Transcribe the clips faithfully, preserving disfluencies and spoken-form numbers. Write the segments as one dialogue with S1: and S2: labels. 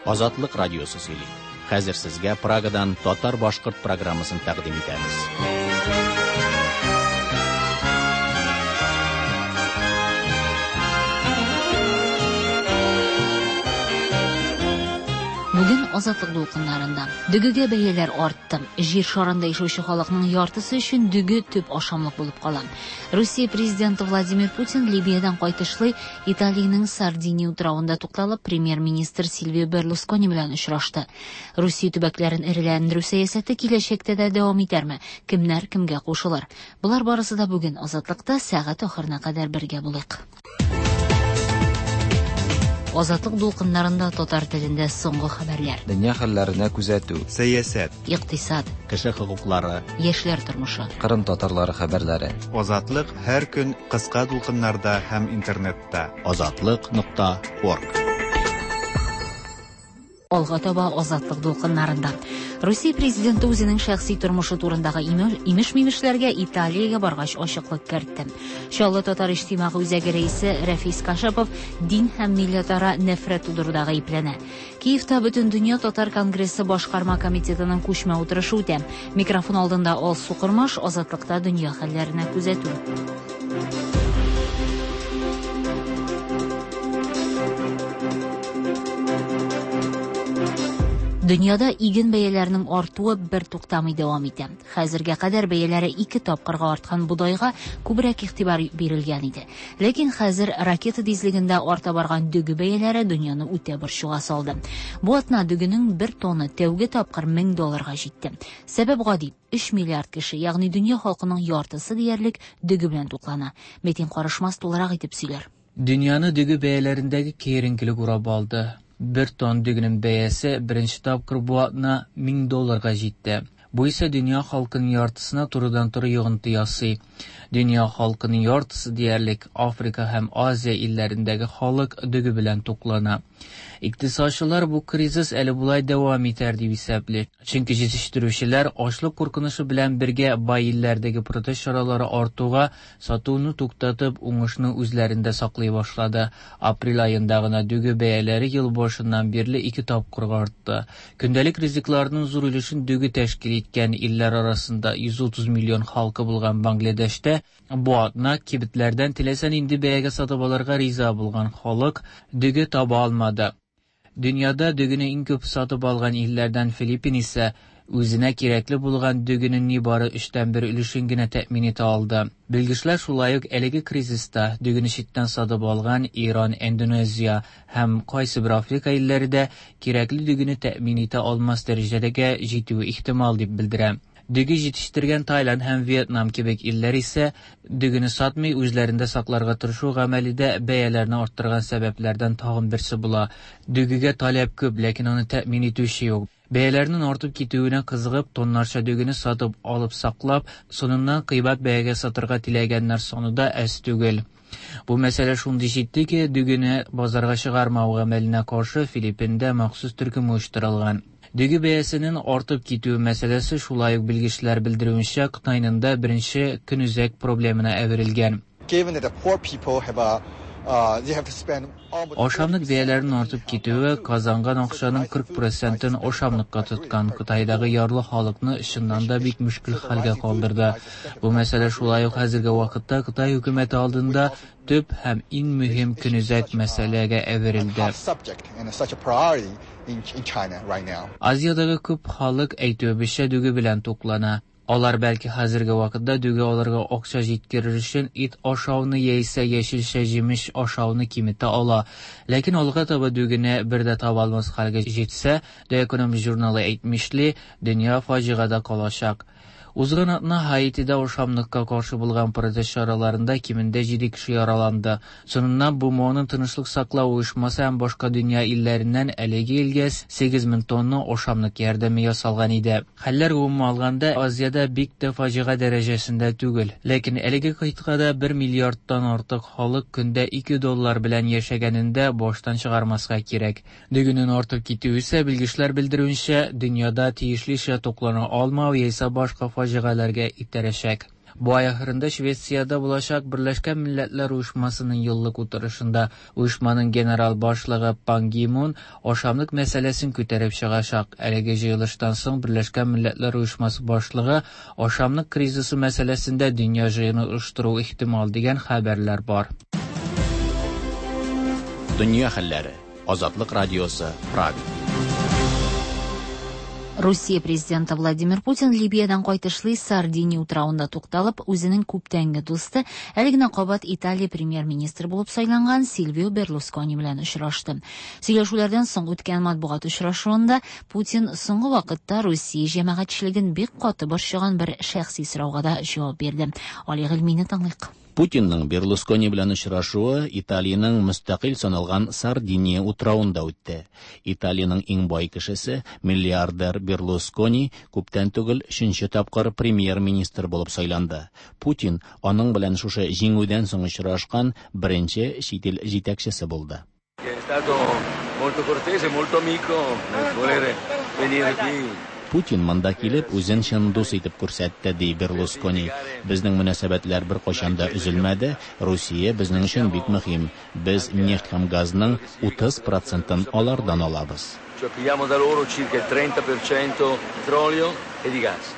S1: Азатлык радиосы сөйли. Хәзер сезгә Прагадан татар-башкорт программасын тәкъдим итәбез.
S2: Бүген Азатлык дулкыннарында дөгегә бәяләр артты. Җир шарында яшәүче халыкның яртысы өчен дөге төп ашамлык булып кала. Русия президенты Владимир Путин Либиядән кайтышлый Италиянең Сардиния утравында тукталып, премьер-министр Сильвио Берлускони белән очрашты. Русия төбәкләрен эреләндерү сәясәте киләчәктә дә дәвам итәрме? Кемнәр кемгә кушылыр? Болар барысы да бүген Азатлыкта сәгать ахырына кадәр бергә булыйк. Азатлык дулкыннарында татар телендә соңгы хәбәрләр.
S3: Дөнья хәлләренә күзәтү.
S4: Сәясәт.
S2: Икътисад.
S1: Кеше хокуклары.
S2: Яшьләр тормышы.
S3: Кырым татарлары хәбәрләре.
S4: Азатлык һәр көн кыска дулкыннарда һәм интернетта.
S1: Азатлык нокта орг.
S2: Алга таба Азатлык дулкыннарында. Русия президенты үзенең шәхси тормышы турындагы имеш-мимешләргә Италиягә баргач ачыклык кертте. Чаллы татар иҗтимагый үзәге рәисе Рәфис Кашапов дин һәм милләтара нәфрәт тудыруда гаепләнә. Киевта Бөтендөнья татар конгрессы башкарма комитетының күчмә утырышы үтә. Микрофон алдында Алсу Кормаш, Азатлыкта дөнья хәлләренә күзәтү. Дөньяда иген бәяләренең артуы бер туктамый дәвам итә. Хәзергә кадәр бәяләре ике тапкырга арткан бодайга күбрәк игътибар бирелгән иде. Ләкин хәзер ракета тизлегендә арта барган дөге бәяләре дөньяны үтә борчуга салды. Бу атна дөгенең бер тонны тәүге тапкыр мең долларга җитте. Сәбәп гади: өч миллиард кеше, ягъни дөнья халкының яртысы диярлек дөге белән туклана. Метин Карышмас тулырак итеп сөйләр.
S5: Дөньяны дөге бәяләрендәге киеренкелек урап алды. Бер тонн дөгенең бәясе беренче тапкыр бу атна мең долларга җитте. Бу исә дөнья халкының яртысына турыдан-туры йогынты ясый. Дөнья халкының яртысы диярлек Африка һәм Азия илләрендәге халык дөге белән туклана. Икътисадчылар бу кризис әле болай дәвам итәр дип исәпли. Чөнки җитештерүчеләр ачлык куркынычы белән бергә бай илләрдәге протест чаралары артуга сатуны туктатып, уңышны үзләрендә саклый башлады. Апрель аенда гына дөге бәяләре ел башыннан бирле ике тапкырга артты. Көндәлек ризыкларның зур өлешен дөге тәшкил иткән илләр арасында йөз утыз миллион халкы булган Бангладешта бу атна кибетләрдән теләсә нинди бәягә сатып алырга риза булган халык дөге таба алмады. Дөньяда дөгене иң күп сатып алган илләрдән Филиппин исә үзенә кирәкле булган дөгенең нибары өчтән бер өлешен генә тәэмин итә алды. Белгечләр шулай ук әлеге кризиста дөгене читтән сатып алган Иран, Индонезия һәм кайсы бер Африка илләре дә кирәкле дөгене тәэмин итә алмас дәрәҗәгә җитүе ихтимал дип белдерә. Дөге җитештергән Таиланд һәм Вьетнам кебек илләр исә дөгене сатмый үзләрендә сакларга тырышу гамәлидә бәяләрне арттырган сәбәпләрдән тагын берсе була. Дөгегә таләп күп, ләкин аны тәэмин итүче юк. Бәяләрнең артып китүенә кызыгып, тоннарча дөгене сатып алып саклап, соңыннан кыйбат бәягә сатырга теләгәннәр саны да әз түгел. Бу мәсьәлә шундый җитди ки, дөгене базарга чыгармау гамәленә каршы Филиппинда махсус төркем оештырылган. Дөге бәясенең артып китүе мәсьәләсе шулай ук белгечләр белдерүенчә Кытайның да беренче көнүзәк проблемына әверелгән. Ашамлык бәяләренең артып китүе казанган акчаның кырык процентын ашамлыкка тоткан Кытайдагы ярлы халыкны чыннан да бик мөшкел хәлгә калдырды. Бу мәсьәлә шулай ук хәзерге вакытта Кытай хөкүмәте алдында төп һәм иң мөһим көнүзәк мәсьәләгә әверелде. Азиядәге күп халык әйтүебезчә дөге белән туклана. Алар бәлки хәзерге вакытта дөге алырга акча җиткерер өчен ит ашауны яисә яшелчә җимеш ашауны киметә ала. Ләкин алга таба дөгене бер дә таба алмас хәлгә җитсә, The Economist журналы әйтмешли, дөнья фаҗигадә калачак. Узган атна Һаитида ашамлыкка каршы булган протест чараларында кимендә җиде кеше яраланды. Соңыннан БМОның тынычлык саклау оешмасы һәм башка дөнья илләреннән әлеге илгә сигез мең тонна ашамлык ярдәме ясалган иде. Хәлләр гомумән алганда Азиядә бик тә фаҗига дәрәҗәсендә түгел. Ләкин әлеге кыйтгада бер миллиардтан артык халык көндә ике доллар белән яшәгәнендә баштан чыгармаска кирәк. Дөгенең артып китүе исә белгечләр белдерүенчә, дөньяда тиешлечә туклана алмау яисә башка фаҗигаләргә итерәчәк. Бу ай ахырында Швециядә булачак Берләшкән Милләтләр Оешмасының еллык утырышында оешманың генерал башлыгы Пан Ги Мун ашамлык мәсьәләсен күтәреп чыгачак. Әлеге җыелыштан соң Берләшкән Милләтләр Оешмасы башлыгы ашамлык кризисы мәсьәләсендә дөнья җыены оештыру ихтимал дигән хәбәрләр бар.
S1: Дөнья хәлләре. Азатлык радиосы, Прага.
S2: Русия президенты Владимир Путин Либиядән кайтышлый Сардиния утравында тукталып, үзенең күптәнге дусты, әле генә кабат Италия премьер-министры булып сайланган Сильвио Берлускони белән очрашты. Сөйләшүләрдән соң үткән матбугат очрашуында Путин соңгы вакытта Русия җәмәгатьчелеген бик каты борчыган бер шәхси сорауга да җавап бирде. Али Гыйльмине тыңлыйк.
S1: Путинның Берлускони белән очрашуы Италиянең мөстәкыйль саналган Сардиния утравында үтте. Италиянең иң бай кешесе, миллиардер Берлускони күптән түгел өченче тапкыр премьер-министр булып сайланды. Путин аның белән шушы җиңүдән соң очрашкан беренче чит ил җитәкчесе булды.
S6: È stato molto cortese, molto amico nel volere venire qui.
S1: Путин монда килеп үзен чын дус итеп күрсәтте, ди Берлускони. Безнең мөнәсәбәтләр беркайчан да өзелмәде. Русия безнең өчен бик мөһим. Без нефть һәм газның утыз процентын алардан алабыз.
S6: Cioè pigliamo da loro circa il trenta per cento petrolio e di gas.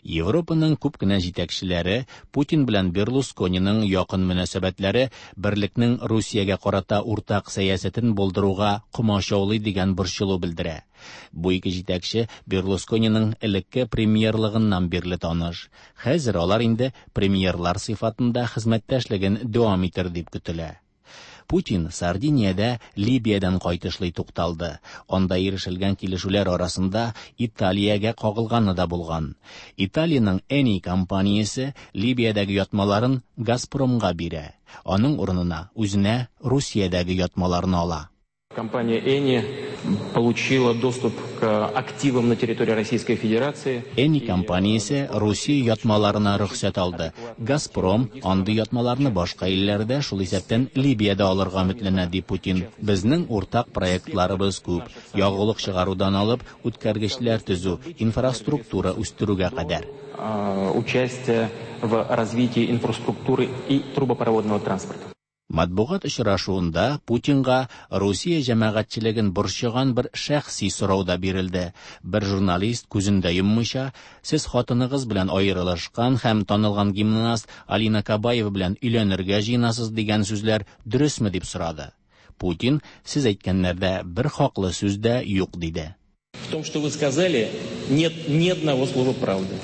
S1: Европаның күп кенә җитәкчеләре Путин белән Берлускониның якын мөнәсәбәтләре берлекнең Русиягә карата уртак сәясәтен булдыруга комачаулый дигән борчылу белдерә. Бу ике җитәкче Берлускониның элекке премьерлыгыннан бирле таныш. Хәзер алар инде премьерлар сыйфатында хезмәттәшлеген дәвам итер дип көтелә. Путин Сардиниядә Либиядән кайтышлый тукталды. Анда ирешелгән килешүләр арасында Италиягә кагылганы да булган. Италиянең Eni компаниясе Либиядәге ятмаларын Газпромга бирә. Аның урынына үзенә Русиядәге ятмаларны ала.
S7: Компания Eni получила доступ к активам на территории Российской Федерации.
S1: Eni компаниясе Русия ятмаларына рөхсәт алды. Газпром андый ятмаларны башка илләрдә, шул исәптән Либиядә алырга өметләнә, ди Путин. Безнең уртак проектларыбыз күп. Ягулык чыгарудан алып, үткәргечләр төзү, инфраструктура үстерүгә кадәр.
S7: Участие в развитии инфраструктуры и трубопроводного транспорта.
S1: Матбугат очрашуында Путинга Русия җәмәгатьчелеген борчыган бер шәхси сорау да бирелде. Бер журналист күзен дә йоммыйча, сез хатыныгыз белән аерылышкан һәм танылган гимнаст Алина Кабаева белән өйләнергә җыенасыз дигән сүзләр дөресме дип сорады. Путин, сез әйткәннәрдә бер хаклы сүз дә юк диде.
S7: В том, что вы сказали, нет ни одного слова правды.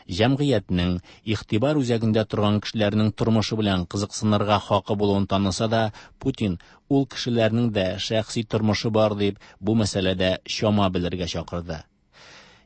S1: Җәмгыятьнең игътибар үзәгендә торган кешеләрнең тормышы белән кызыксынырга хакы булуын таныса да, Путин ул кешеләрнең дә шәхси тормышы бар дип бу мәсьәләдә чама белергә чакырды.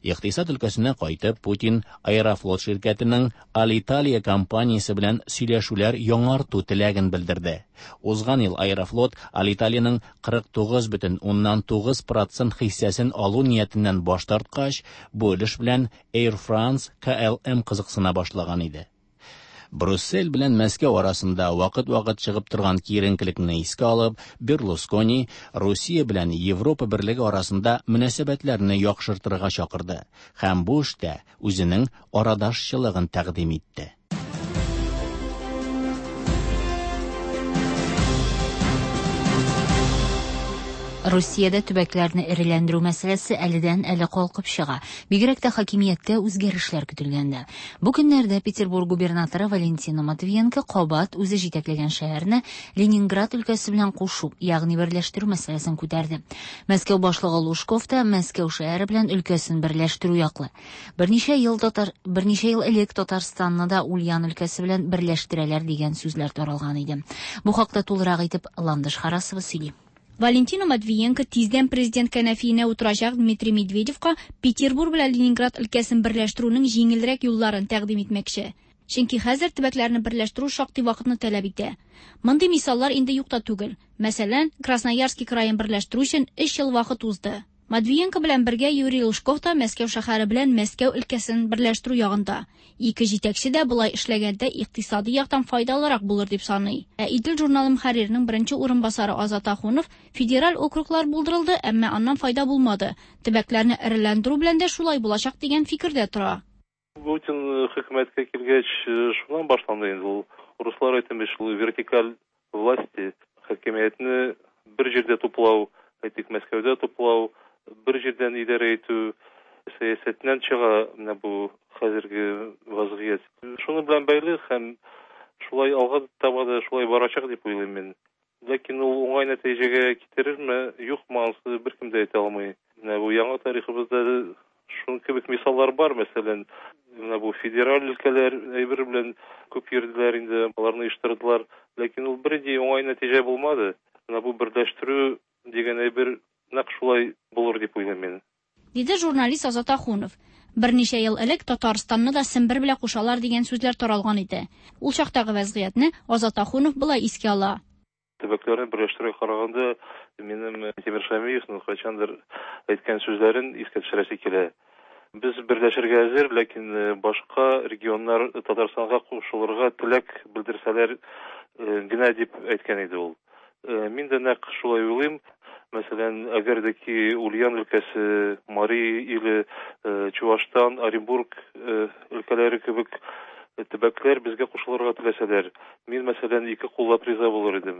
S1: Икътисад өлкәсенә кайтып, Путин Аэрофлот ширкәтенең Алиталия компаниясе белән сөйләшүләр яңарту теләген белдерде. Узган ел Аэрофлот Алиталиянең кырык тугыз бөтен уннан тугыз процент хиссәсен алу ниятеннән баш тарткач, бу өлеш белән Air France К Л М кызыксына башлаган иде. Брюссель белән Мәскәү арасында вакыт-вакыт чыгып торган киеренкелекне искә алып, Берлускони Русия белән Европа берлеге арасында мөнәсәбәтләрне яхшыртырга чакырды һәм бу эштә үзенең арадашчылыгын тәкъдим итте.
S2: Русиядә төбәкләрне эреләндерү мәсьәләсе әледән әле калкып чыга. Бигрәк тә хакимияттә үзгәрешләр көтелгәндә. Бу көннәрдә Петербург губернаторы Валентина Матвиенко кабат үзе җитәкләгән шәһәрне Ленинград өлкәсе белән кушу, ягъни берләштерү мәсьәләсен күтәрде. Мәскәү башлыгы Лужков та Мәскәү шәһәре белән өлкәсен берләштерү яклы. Берничә ел татар, берничә ел элек Татарстанны да Ульян өлкәсе белән берләштерәләр дигән сүзләр таралган иде. Бу хакта тулырак итеп Ландыш Харасова сөйли.
S8: Валентина Матвиенко тиздән президент кәнәфиенә утырачак Дмитрий Медведевка Петербург белән Ленинград өлкәсен берләштерүнең җиңелрәк юлларын тәкъдим итмәкче. Чөнки хәзер төбәкләрне берләштерү шактый вакытны таләп итә. Мондый мисаллар инде юк та түгел. Мәсәлән, Красноярский краен берләштерү өчен өч ел вакыт узды. Матвиенко белән бергә Юрий Лужков та Мәскәү шәһәре белән Мәскәү өлкәсен берләштерү ягында. Ике җитәкче дә болай эшләгәндә икътисади яктан файдалырак булыр дип саный. Ә Идел журналы мөхәрриренең беренче урынбасары Азат Ахунов федераль округлар булдырылды, әмма аннан файда булмады. Төбәкләрне эреләндерү белән дә шулай булачак дигән фикердә тора.
S9: Путин хөкүмәткә килгәч, шуннан башланды инде ул. Руслар әйтмеш, ул вертикаль власти, хакимиятне бер җирдә туплау, әйтик, Мәскәүдә туплау, бер җирдән идарә итү сәясәтеннән чыга менә бу хәзерге вазгыять. Шуның белән бәйле һәм шулай алга таба да шулай барачак дип уйлыйм мин. Ләкин ул уңай нәтиҗәгә китерерме, юкмы, анысы беркем дә әйтә алмый. Менә бу яңа тарихыбызда шуның кебек мисаллар бар, мәсәлән, менә бу федераль өлкәләр әйбер белән күп йөрделәр инде, аларны оештырдылар, ләкин ул бернинди уңай нәтиҗә булмады. Менә бу берләштерү дигән әйбер нәкъ шулай булыр дип уйлыйм мин.
S8: Диде журналист Азат Ахунов. Берничә ел элек Татарстанны да Сембер белән кушалар дигән сүзләр таралган иде. Ул чактагы вазгыятьне Азат Ахунов болай искә ала.
S9: Төбәкләрне берләштерүгә караганда минем Тимир Шәмиевның кайчандыр әйткән сүзләрен искә төшерәсе килә. Без берләшергә әзер, ләкин башка регионнар Татарстанга кушылырга теләк белдерсәләр генә дип әйткән иде ул. Мин дә нәкъ шулай уйлыйм. Мәсәлән, әгәр дә ки Ульян өлкәсе, Мари иле, Чувашстан, Оренбург өлкәләре кебек төбәкләр безгә кушылырга теләсәләр, мин, мәсәлән, ике куллап риза булыр идем.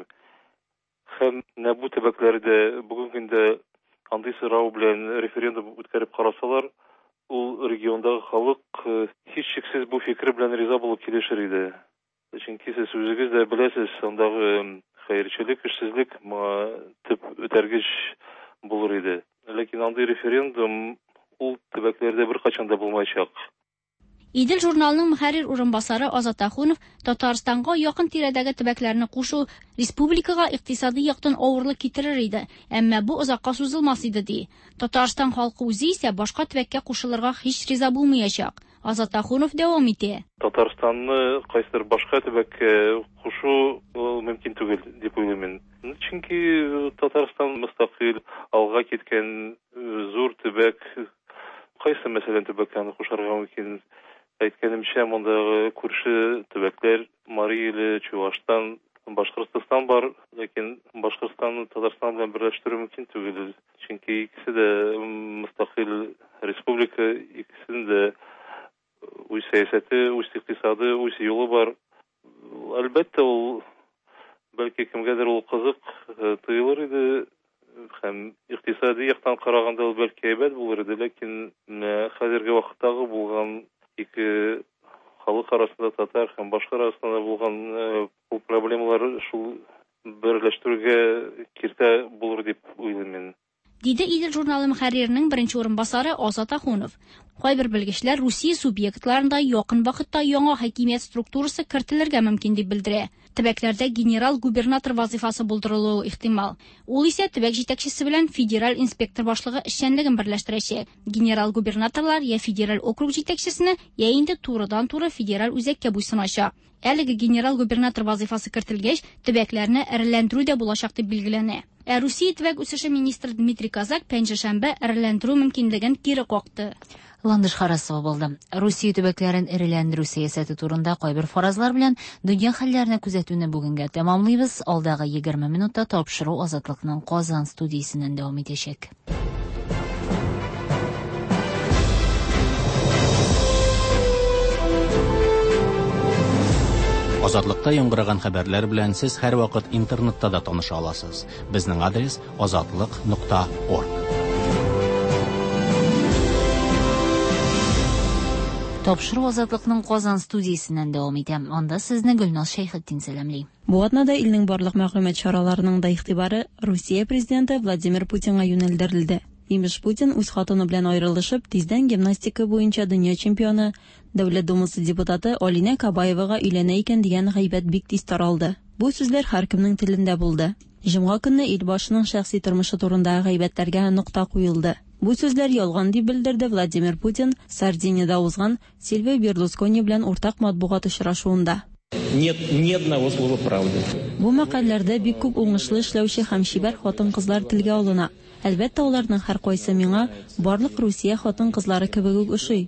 S9: Һәм менә бу төбәкләрдә бүгенге көндә андый сорау белән референдум үткәреп карасалар, ул региондагы халык һичшиксез бу фикер белән риза булып килешер иде. Чөнки сез үзегез дә беләсез, андагы хәерчелек, эшсезлек моңа төп үтәргеч булыр иде. Ләкин андый референдум ул төбәкләрдә беркайчан да булмаячак.
S8: Идел журналының мөхәррир урынбасары Азат Ахунов Татарстанга якын тирәдәге төбәкләрне кушу республикага икътисади яктан авырлык китерер иде, әмма бу озакка сузылмас иде, ди. Татарстан халкы үзе исә башка төбәккә кушылырга һич риза булмаячак. Азат Ахунов дәвам итә.
S9: Татарстанны кайсыдыр башка төбәккә кушу мөмкин түгел дип уйлыйм мин. Чөнки Татарстан мөстәкыйль, алга киткән зур төбәк. Кайсы, мәсәлән, төбәккә аны кушарга мөмкин? Әйткәнемчә, мондагы күрше төбәкләр Мари иле, Чувашстан, Башкортстан бар, ләкин Башкортстанны Татарстан белән берләштерү мөмкин түгел. Чөнки икесе дә мөстәкыйль республика, икесенең дә үз сәясәте, үз икътисады, үз юлы бар. Әлбәттә, ул бәлки кемгәдер ул кызык тоелыр иде, һәм икътисади яктан караганда ул бәлки әйбәт булыр иде, ләкин хәзерге вакыттагы булган ике халык арасында, татар һәм башка арасында булган ул проблемалар шул берләштерүгә киртә булыр дип уйлыйм мин.
S8: Диде Идел журналы мөхәрриренең беренче урынбасары Азат Ахунов. Кайбер белгечләр Русия субъектларында якын вакытта яңа хакимият структурасы кертелергә мөмкин дип белдерә. Төбәкләрдә генерал-губернатор вазифасы булдырылуы ихтимал. Ул исә төбәк җитәкчесе белән федераль инспектор башлыгы эшчәнлеген берләштерәчәк. Генерал-губернаторлар я федераль округ җитәкчесенә, я инде турыдан-туры федераль үзәккә буйсыначак. Әлеге генерал-губернатор вазифасы кертелгәч, төбәкләрне эреләндерү дә булачак дип билгеләнә. Ә Русия төбәк үсеше министры Дмитрий Козак пәнҗешәмбе эреләндерү мөмкинлеген кире какты.
S2: Ландыш Харасова булды. Русия төбәкләрен эреләндерү сәясәте турында кайбер фаразлар белән дөнья хәлләренә күзәтүне бүгенгә тәмамлыйбыз. Алдагы егерме минутта тапшыру Азатлыкның Казан студиясеннән дәвам итәчәк.
S1: Азатлыкта яңгыраган хәбәрләр белән сез һәрвакыт интернетта да таныша аласыз. Безнең адрес азатлык нокта орг.
S2: Тапшыру Азатлыкның Казан студиясеннән дәвам итә. Анда сезне Гөлназ Шәйхетдин сәламли.
S10: Бу атнада илнең барлык мәгълүмат чараларының да игътибары Русия президенты Владимир Путинга юнәлдерелде. Имеш, Путин үз хатыны белән аерылышып, тиздән гимнастика буенча дөнья чемпионы, Дәүләт Думасы депутаты Алинә Кабаевага өйләнә икән дигән гайбәт бик тиз таралды. Бу сүзләр һәркемнең телендә булды. Җомга көнне ил башының шәхси тормышы турындагы гайбәтләргә нокта куелды. Бу сүзләр ялган дип белдерде Владимир Путин Сардиниядә узган Сильвио Берлускони белән уртак матбугат очрашуында.
S7: Нет ни одного слова правды.
S10: Бу мәкаләләрдә бик күп уңышлы эшләүче һәм чибәр хатын-кызлар телгә алына. Әлбәттә, аларның һәркайсы миңа барлык Русия хатын-кызлары кебек үк ошый.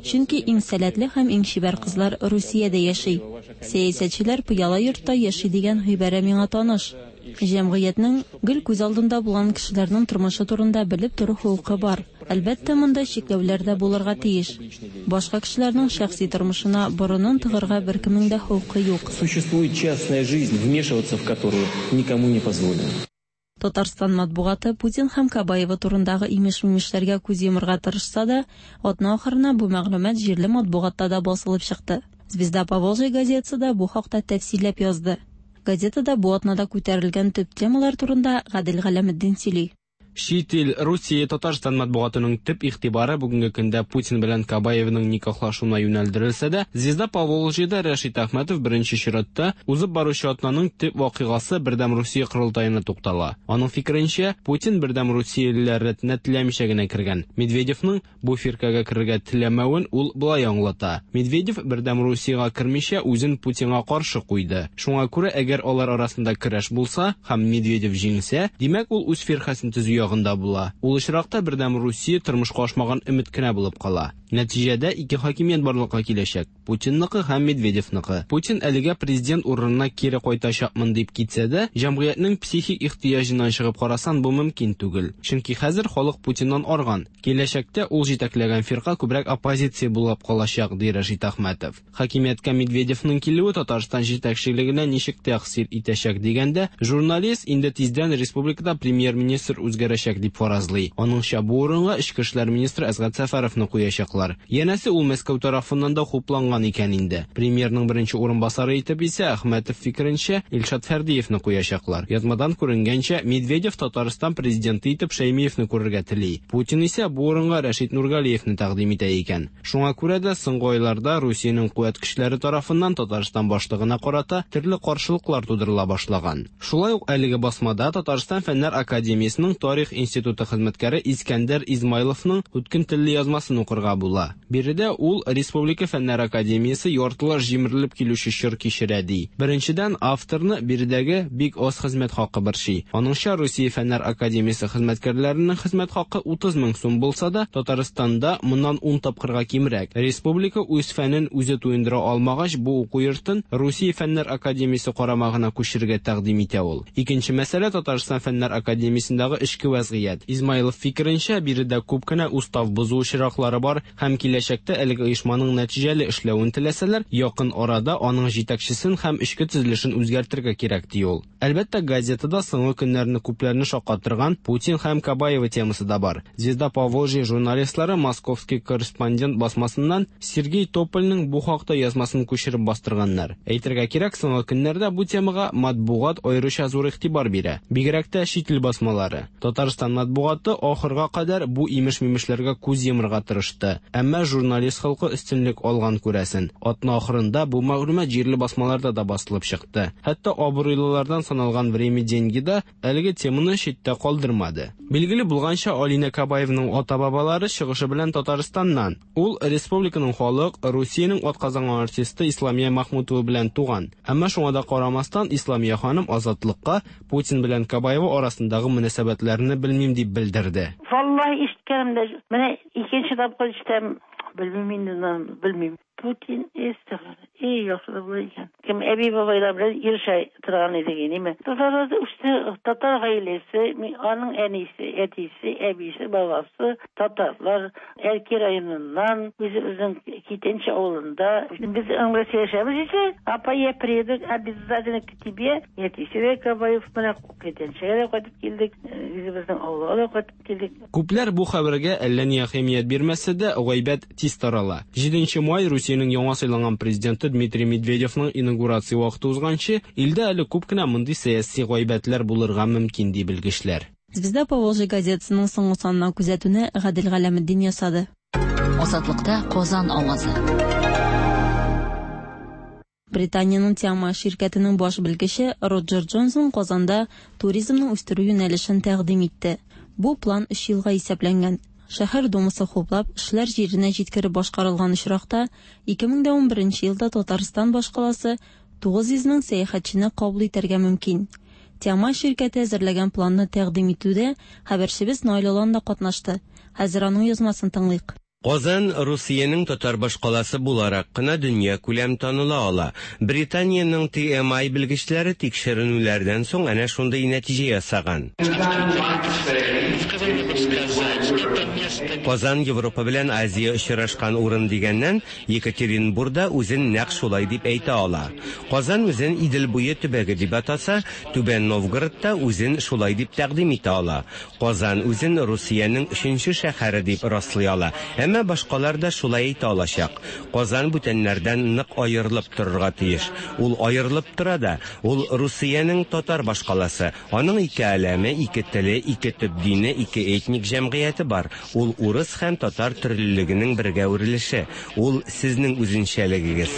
S10: Чөнки иң сәләтле һәм иң чибәр кызлар Русиядә яши. Сәясәтчеләр пыяла йортта яши дигән гыйбарә миңа таныш. Җәмгыятьнең гел күз алдында булган кешеләрнең тормышы турында белеп тору хокукы бар. Әлбәттә, монда чикләүләр дә булырга тиеш. Башка кешеләрнең шәхси тормышына борынын тыгырга беркемнең дә хокукы юк.
S7: Существует частная жизнь, вмешиваться в которую никому не позволено.
S10: Татарстан матбугаты Путин һәм Кабаева турындагы имеш-мимешләргә күз йомырга тырышса да, атна ахырына бу мәгълүмат җирле матбугатта да басылып чыкты. Звезда Поволжья газетасы да бу хакта тәфсилләп язды. Газетада бу атнада күтәрелгән төп темалар турында Гадел Галәметдин сөйли.
S11: Чит ил, Русия, Татарстан матбугатының төп игътибары бүгенге көндә Путин белән Кабаевның никахлашуына юнәлдерелсә дә, Звезда Поволжьеда Рәшит Әхмәтов беренче чиратта узып баручы атнаның төп вакыйгасы Бердәм Русия корылтаена туктала. Аның фикеренчә, Путин Бердәм Русиялеләр рәтенә теләмичә генә кергән. Медведевның бу фиркәгә керергә теләмәвен ул болай аңлата. Медведев Бердәм Русиягә кермичә үзен Путинга каршы куйды. Шуңа күрә, әгәр алар арасында көрәш булса һәм Медведев җиңсә, димәк ул үз фиркәсен төзү ягында була. Ул очракта Бердәм Русия тормышка ашмаган өмет кенә булып кала. Нәтиҗәдә ике хакимият барлыкка киләчәк: Путинныкы һәм Медведевныкы. Путин әлегә президент урынына кире кайтачакмын дип китсә дә, җәмгыятьнең психик ихтыяҗыннан чыгып карасан, бу мөмкин түгел. Чөнки хәзер халык Путиннан арган. Киләчәктә ул җитәкләгән фирка күбрәк оппозиция булып калачак, ди Рәшит Әхмәтов. Хакимияткә Медведевның килүе Татарстан җитәкчелегенә ничек тәэсир итәчәк дигәндә, журналист инде тиздән республикада премьер-министр үзгәрәчәк дип фаразлый. Аныңча, бу урынга эчке эшләр министры Әсгать Сәфәровны куячаклар. Янәсе, ул Мәскәү тарафыннан да хупланган икән инде. Премьерның беренче урынбасары итеп исә, Әхмәтов фикеренчә, Илшат Фәрдиевны куячаклар. Язмадан күренгәнчә, Медведев Татарстан президенты итеп Шәймиевны күрергә тели. Путин исә бу урынга Рәшит Нургалиевны тәкъдим итә икән. Шуңа күрә дә соңгы айларда Русиянең куәт көчләре тарафыннан Татарстан башлыгына карата төрле каршылыклар тудырыла башлаган. Шулай ук әлеге басмада Татарстан Фәннәр академиясенең Тарих институты хезмәткәре Искәндәр Измайловның үткен телле язмасын укырга була. Биредә ул Республика Фәннәр академиясе яртылаш җимерелеп килүче чор кичерә ди. Беренчедән, авторны биредәге бик аз хезмәт хакы борчый. Аныңча, Русия Фәннәр академиясе хезмәткәрләренең хезмәт хакы утыз мең сум булса да, Татарстанда моннан ун тапкырга кимрәк. Республика үз фәнен үзе туендыра алмагач, бу уку йортын Русия Фәннәр академиясе карамагына күчерергә тәкъдим итә ул. Икенче мәсьәлә Татарстан Фәннәр академиясендәге эчке вәзгыять. Измайлов фикеренчә, биредә күп кенә устав бозу очраклары бар һәм киләчәктә әлеге оешманың нәтиҗәле эшләвен теләсәләр, якын арада аның җитәкчесен һәм эчке төзелешен үзгәртергә кирәк, ди ул. Әлбәттә, газетада соңгы көннәрне күпләрне шаккатырган Путин һәм Кабаева темасы да бар. Звезда Поволжья журналистлары Московский корреспондент басмасыннан Сергей Топольның бу хакта язмасын күчереп бастырганнар. Әйтергә кирәк, соңгы көннәрдә бу темага матбугат аеруча зур игътибар бирә. Бигрәк тә чит ил басмалары. Татарстан матбугаты ахырга кадәр бу имеш-мимешләргә күз йомырга тырышты. Әмма журналист халкы өстенлек алган күрәсен. Атна ахырында бу мәгълүмат җирле басмаларда да басылып чыкты. Хәтта абруйлылардан саналган Время деньги да әлеге теманы читтә калдырмады. Билгеле булганча, Алина Кабаевның ата-бабалары чыгышы белән Татарстаннан. Ул республиканың халык, Русиянең атказанган артисты Исламия Махмутова белән туган. Әмма шуңа да карамастан, Исламия ханым Азатлыкка Путин белән Кабаева арасындагы мөнәсәбәтләрне белмим дип белдерде.
S12: Валлаһи ишеткәнем дә, менә икенче тапкыр ишетәм, белмим инде, белмим. Путин эстәгъфирулла. Эй, яхшы да була икән. Кем әби бабайлар белән ирешә торган идек, ниме? Татарларда үсте, татар гаиләсе, аның әнисе, әтисе, әбисе, бабасы татарлар, Әлки районыннан, үзебезнең Китенче авылында. Без аңлап яшәбез исә, апа, я приеду обязательно к тебе. Әтисе дә Кабаев менә Китенчегә дә кайтып килдек, үзебезнең авылга да кайтып килдек.
S11: Күпләр бу хәбәргә әллә ни әһәмият бирмәсә дә, гайбәт тиз тарала. Җиденче май Русиянең яңа сайланган президенты Дмитрий Медведевның инаугурация вакыты узганчы, илдә әле күп кенә мондый сәяси гайбәтләр булырга мөмкин ди белгечләр.
S10: Звезда Поволжья газетасының соңгы санына күзәтүне Гадел Галәметдин ясады.
S2: Азатлыкта Казан авазы.
S10: Британиянең Тиама ширкәтенең баш белгече Роджер Джонсон Казанда туризмны үстерү юнәлешен тәкъдим итте. Бу план өч елга исәпләнгән. Шәһәр думасы хуплап, эшләр җиренә җиткереп башкарылган очракта ике мең дә унберенче елда Татарстан башкаласы тугыз йөз мең сәяхәтчене кабул итәргә мөмкин. Тиама ширкәте әзерләгән планны тәкъдим итүдә хәбәрчебез Наил Алан да катнашты. Хәзер аның язмасын тыңлыйк.
S13: Казан Русиянең татар башкаласы буларак кына дөньякүләм таныла ала. Британиянең T M I белгечләре тикшеренүләрдән соң әнә шундый нәтиҗә ясаган. Казан Европа белән Азия очрашкан урын дигәннән, Екатеринбур да үзен нәкъ шулай дип әйтә ала. Казан үзен Идел буе төбәге дип атаса, Түбән Новгород та үзен шулай дип тәкъдим итә ала. Казан үзен Русиянең өченче шәһәре дип раслый ала. Әмма башкалар да шулай әйтә алачак. Казан бүтәннәрдән нык аерылып торырга тиеш. Ул аерылып тора да, ул Русиянең татар башкаласы. Аның ике әләме, ике теле, ике төп дине, ике этник җәмгыяте бар. Ул урыс һәм татар төрлелегенең бергә үрелеше. Ул сезнең үзенчәлегегез.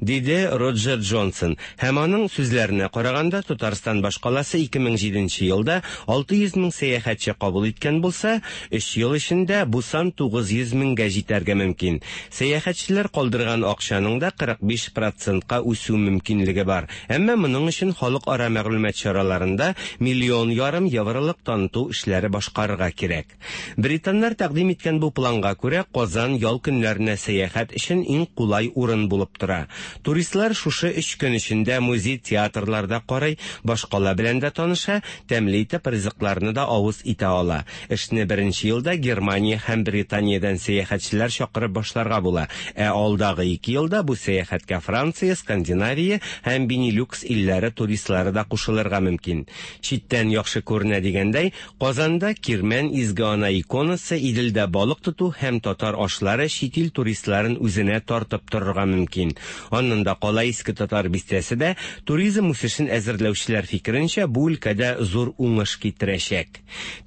S13: Диде Роджер Джонсон. Һәм аның сүзләренә караганда, Татарстан башкаласы ике мең җиденче елда алты йөз мең сәяхәтче кабул иткән булса, өч ел эчендә бу сан тугыз йөз меңгә җитәргә мөмкин. Сәяхәтчеләр калдырган акчаның да кырык биш процентка үсү мөмкинлеге бар. Әмма моның өчен халыкара мәгълүмат чараларында миллион ярым евролык таныту эшләре башкарырга кирәк. Британнар тәкъдим иткән бу планга күрә, Казан ял көннәренә сәяхәт өчен иң кулай урын булып тора. Туристлар шушы өч көн эчендә музей, театрларда карый, башкала белән дә таныша, тәмле итеп ризыкларны да авыз итә ала. Эшне беренче елда Германия һәм Британиядән сәяхәтчеләр чакырып башларга була. Ә алдагы ике елда бу сәяхәткә Франция, Скандинавия һәм Бенилюкс илләре туристлары да кушылырга мөмкин. Читтән яхшы күренә дигәндәй, Казанда Кирмән Изге Ана иконасы, Иделдә балык тоту һәм татар ашлары чит ил туристларын үзенә тартып торырга мөмкин. Аннан да кала Иске Татар бистәсе дә туризм үсешен әзерләүчеләр фикеренчә бу өлкәдә зур уңыш китерәчәк.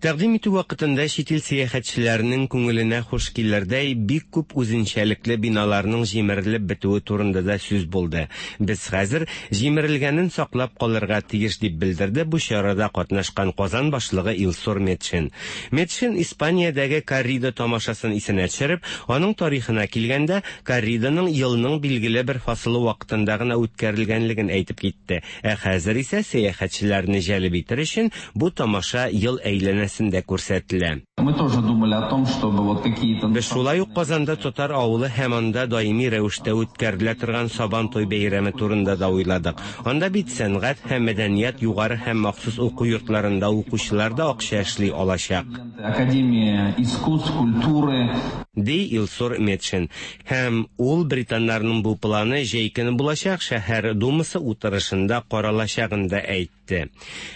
S13: Тәкъдим итү вакытында чит ил сәяхәтчеләренең күңеленә хуш килердәй бик күп үзенчәлекле биналарның җимерелеп бетүе турында да сүз булды. Без хәзер җимерелгәнен саклап калырга тиеш, дип белдерде бу чарада катнашкан Казан башлыгы Илсур Метшин. Метшин Испаниядәге коррида тамашасын исенә төшереп, аның тарихына килгәндә, корриданың елның билгеле бер фасылы вакытында гына үткәрелгәнлеген әйтеп китте. Ә хәзер исә сәяхәтчеләрне җәлеп итер өчен бу тамаша ел әйләнәсендә күрсәтелә.
S14: Мы тоже думали о том, чтобы вот какие-то.
S13: Без шулай ук Казанда татар авылы һәм анда даими рәвештә үткәрелә торган Сабан туй бәйрәме турында да уйладык. Анда бит сәнгать һәм мәдәният югары һәм махсус уку йортларында укучылар да акча эшли алачак.
S14: Академия искусств, культуры.
S13: Ди Илсур Метшин. Һәм ул британнарның бу планы җәй көне булачак шәһәр думасы утырышында каралачагын да әйтте.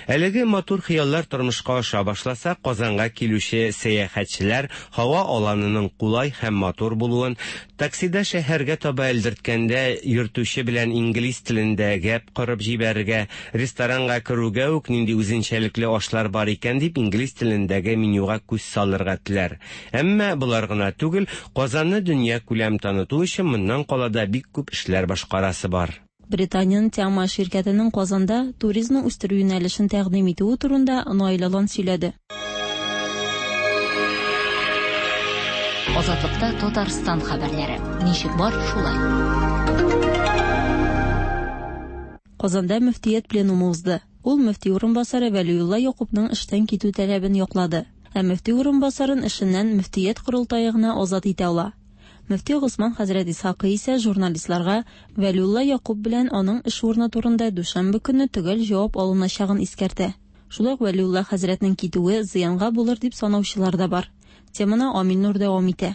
S13: Әлеге матур хыяллар тормышка аша башласа, Казанга килүче сәяхәтчеләр һава аланының кулай һәм матур булуын, таксида шәһәргә таба элдерткәндә йөртүче белән инглиз телендә гәп корып җибәрергә, ресторанга керүгә үк нинди үзенчәлекле ашлар бар икән дип инглиз телендәге менюга күз салырга теләр. Әмма болар гына түгел, Казанны дөнья күләм таныту өчен моннан кала да бик күп эшләр башкарасы бар.
S10: Британиянең T M I ширкәтенең Казанда туризмны үстерү юнәлешен тәкъдим итүе турында Наил Алан сөйләде.
S2: Азатлыкта Татарстан хәбәрләре. Ничек бар, шулай.
S10: Казанда мөфтият пленумы узды. Ул мөфти урынбасары Вәлиулла Якупның эштән китү таләбен яклады. Ә мөфти урынбасарын эшеннән мөфтият корылтае гына азат итә ала. Мөфти Госман хәзрәт Исхакый исә журналистларга Вәлиулла Якуп белән аның эш урыны турында дүшәмбе көнне төгәл җавап алыначагын искәртә. Шулай ук Вәлиулла хәзрәтнең китүе зыянга булыр дип санаучылар да бар. Теманы Амил Нур дәвам итә.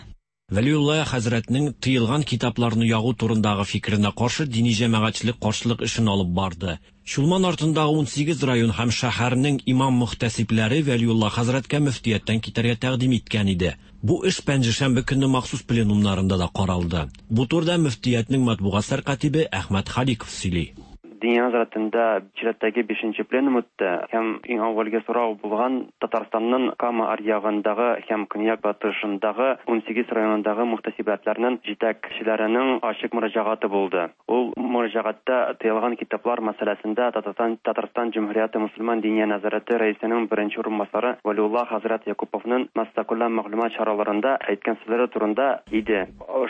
S15: Вәлиулла хәзрәтнең тыелган китапларны ягу турындагы фикеренә каршы дини җәмәгатьчелек каршылык эшен алып барды. Чулман артындагы унсигез район һәм шәһәрнең имам мөхтәсибләре Вәлиулла хәзрәткә мөфтияттән китәргә тәкъдим иткән иде. Бу эш пәнҗешәмбе көнне махсус пленумнарында да каралды. Бу турыда мөфтиятнең матбугат сәркатибе Әхмәт Халиков сөйли.
S16: Диния нәзарәтендә чираттагы бишенче пленум үтте һәм иң әүвәлге сорау булган Татарстанның Кама аръягындагы һәм көньяк батышындагы унсигез районындагы мөхтәсибәтләрнең җитәкчеләренең ачык мөрәҗәгате булды. Ул мөрәҗәгатьтә тыелган китаплар мәсьәләсендә Татарстан Татарстан Җөмһүрияте мөселман диния нәзарәте рәисенең беренче урынбасары Вәлиулла хәзрәт Якуповның массакүләм мәгълүмат чараларында әйткән сүзләре турында иде.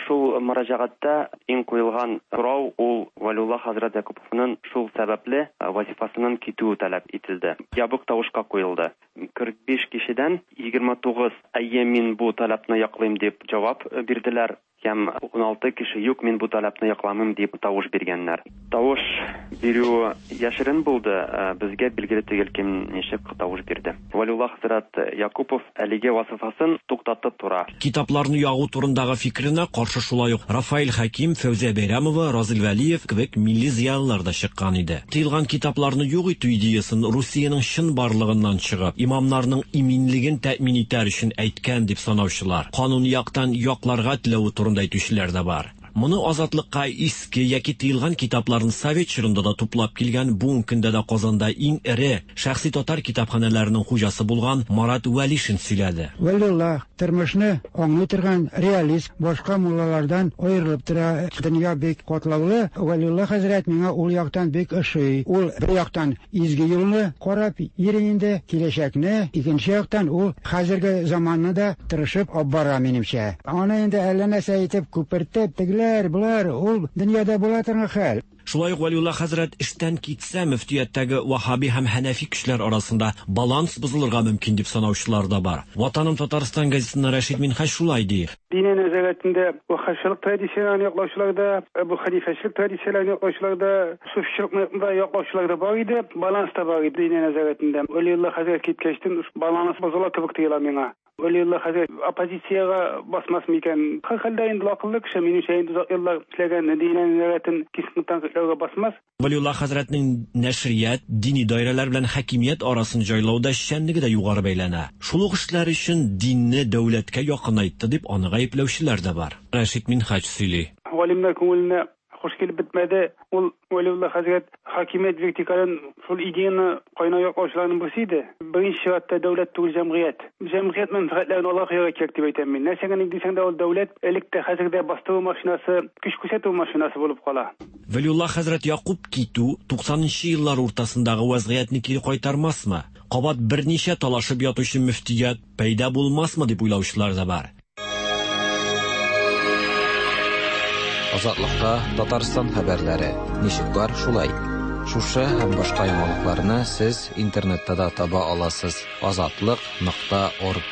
S16: Шул мөрәҗәгатьтә иң куелган сорау ул Вәлиулла хәзрәт Якуповның Шул сәбәпле вазифасыннан китүе таләп ителде. Ябык тавышка куелды. кырык биш кешедән егерме тугыз әйе, мин бу таләпне яклыйм дип җавап бирделәр. Һәм ун алты кеше юк, мин бу таләпне якламыйм дип тавыш биргәннәр. Тавыш бирү яшерен булды, безгә билгеле түгел кем ничек тавыш бирде. Вәлиулла хәзрәт Якупов әлеге вазифасын туктатып тора.
S15: Китапларны ягу турындагы фикеренә каршы шулай ук Рафаэль Хәким, Фәүзия Бәйрәмова, Разил Вәлиев кебек милли зыялылар да чыккан иде. Тыелган китапларны юк итү идеясын Русиянең чын барлыгыннан чыгып, имамнарның иминлеген тәэмин итәр өчен әйткән дип санаучылар, канун яктан якларга теләве турында әйтүчеләр дә бар. Моны Азатлыкка иске яки тыелган китапларын совет чорында да туплап килгән, бүгенге көндә дә Казанда иң эре шәхси татар китапханәләренең хуҗасы булган Марат Вәлишин сөйләде.
S17: Вәлиулла тормышны аңлый торган реалист, башка муллалардан аерылып тора. Дөнья бик катлаулы. Вәлиулла хәзрәт миңа ул яктан бик ошый. Ул бер яктан изге юлны карап йөри инде, киләчәкне, икенче яктан ул хәзерге заманны да тырышып алып бара минемчә. Аны инде әллә нәрсә итеп күпертеп, тегеләр, болар, ул дөньяда була торган хәл.
S15: Шулай ук Вәлиулла хәзрәт эштән китсә, мөфтияттәге ваһһаби һәм хәнәфи көчләр арасында баланс бозылырга мөмкин дип санаучылар да бар. Ватаным Татарстан газетасында Рәшид Минһаҗ шулай ди.
S18: Диния нәзарәтендә ваһһабчылык традицияләрен яклаучылар да, Әбу Хәнифәчелек традицияләрен яклаучылар да, суфичылыкны да яклаучылар да бар иде, баланс та бар иде диния нәзарәтендә. Вәлиулла хәзрәт киткәчтен баланс бозыла кебек тоела миңа. Вәлиулла хәзрәт оппозициягә басмас микән? Һәр хәлдә инде акыллы кеше, минемчә инде озак еллар эшләгән диния нәзарәтен кискен тәнкыйтьләүгә басмас.
S15: Вәлиулла хәзрәтнең нәшрият, дини даирәләр белән хакимият арасын җайлауда эшчәнлеге дә югары бәйләнә. Шул ук эшләр өчен динне дәүләткә якынайтты дип аны гаепләүчеләр дә бар. Рәшид Минһаҗ сөйли.
S18: Галимнәр күңеленә хуш килеп бетмәде. Ул Вәлиулла хәзрәт хакимият вертикален шул идеяны кайнау яклаучыларның берсе иде. Беренче чиратта дәүләт түгел, җәмгыять. Җәмгыять мәнфәгатьләрен алга куярга кирәк дип әйтәм мин. Нәрсә генә дисәң дә ул дәүләт элек тә хәзер дә бастыру машинасы, көч күрсәтү машинасы булып кала.
S15: Вәлиулла хәзрәт Якуб китү туксанынчы еллар уртасындагы вазгыятьне кире кайтармасмы? Кабат берничә талашып ятучы мөфтият пәйда булмасмы дип уйлаучылар да бар.
S3: Азатлыкта Татарстан хәбәрләре. Ничек бар шулай. Шушы һәм башка яңалыкларны сез интернетта да таба аласыз. азатлык нокта орг.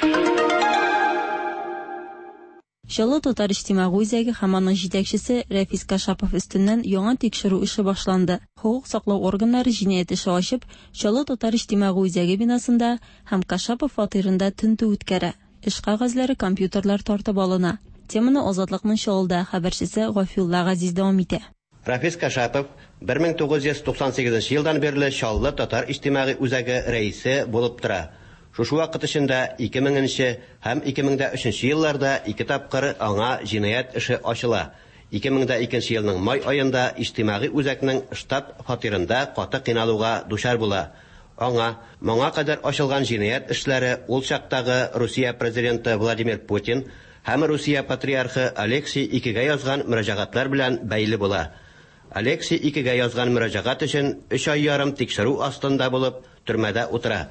S10: Чаллы татар иҗтимагый үзәге һәм аның җитәкчесе Рәфис Кашапов өстеннән яңа тикшерү эше башланды. Хокук саклау органнары җинаять эше ачып, Чаллы татар иҗтимагый үзәге бинасында һәм Кашапов фатирында тентү үткәрә. Эш кәгазьләре, компьютерлар тартып алына. Теманы Азатлыкның Чаллыда хәбәрчесе Гафиулла Газиз дәвам итә.
S19: Рафис Кашапов бер мең тугыз йөз туксан сигезенче елдан бирле Чаллы татар иҗтимагый үзәге рәисе булып тора. Шушы вакыт эчендә ике меңенче һәм ике мең дә өченче елларда ике тапкыр аңа җинаять эше ачыла. Ике мең дә икенче елның май аенда иҗтимагый үзәкнең штаб фатирында каты кыйналуга дучар була. Аңа моңа кадәр ачылган җинаять эшләре ул чактагы Русия президенты Владимир Путин һәм Русия патриархы Алексий икегә язган мөрәҗәгатьләр белән бәйле була. Алексий икегә язган мөрәҗәгать өчен өч ай ярым тикшерү астында булып төрмәдә утыра.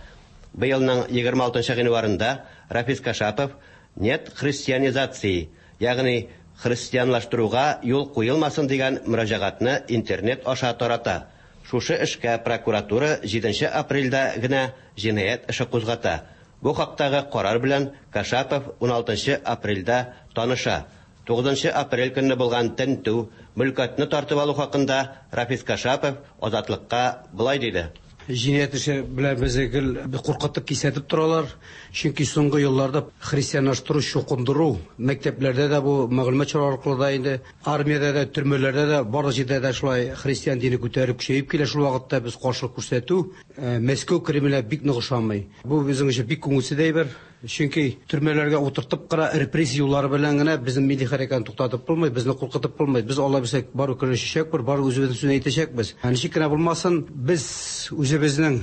S19: Быелның егерме алтынчы гыйнварында Рафис Кашапов «Нет христианизации», ягъни христианлаштыруга юл куелмасын дигән мөрәҗәгатьне интернет аша тарата. Шушы эшкә прокуратура җиденче апрельдә генә җинаять эше кузгата. Бу хактагы карар белән Кашапов ун алтынчы апрельдә таныша. Тугызынчы апрель көнне булган тентү, мөлкәтне тартып алу хакында Рафис Кашапов Азатлыкка былай диде.
S20: Җинаять эше белән безне гел куркытып кисәтеп торалар. Чөнки соңгы елларда христианлаштыру, чукындыру мәктәпләрдә дә бу мәгълүмат чаралары аркылы да инде армиядә дә, төрмәләрдә дә, барлык җирдә дә шулай христиан дине күтәреп көчәеп килә. Шул вакытта без каршылык күрсәтү Мәскәү Кремле бик нык ошамый. Бу безнең өчен бик күңелсез әйбер. Чөнки төрмәләргә утыртып кына репрессия юллары белән генә безнең милли хәрәкәтне туктатып булмый, безне куркытып булмый. Без Алла бирсә бару көрәшәчәкбез, бару үзебезнең сүзне әйтәчәкбез. Ничек кенә булмасын, без үзебезнең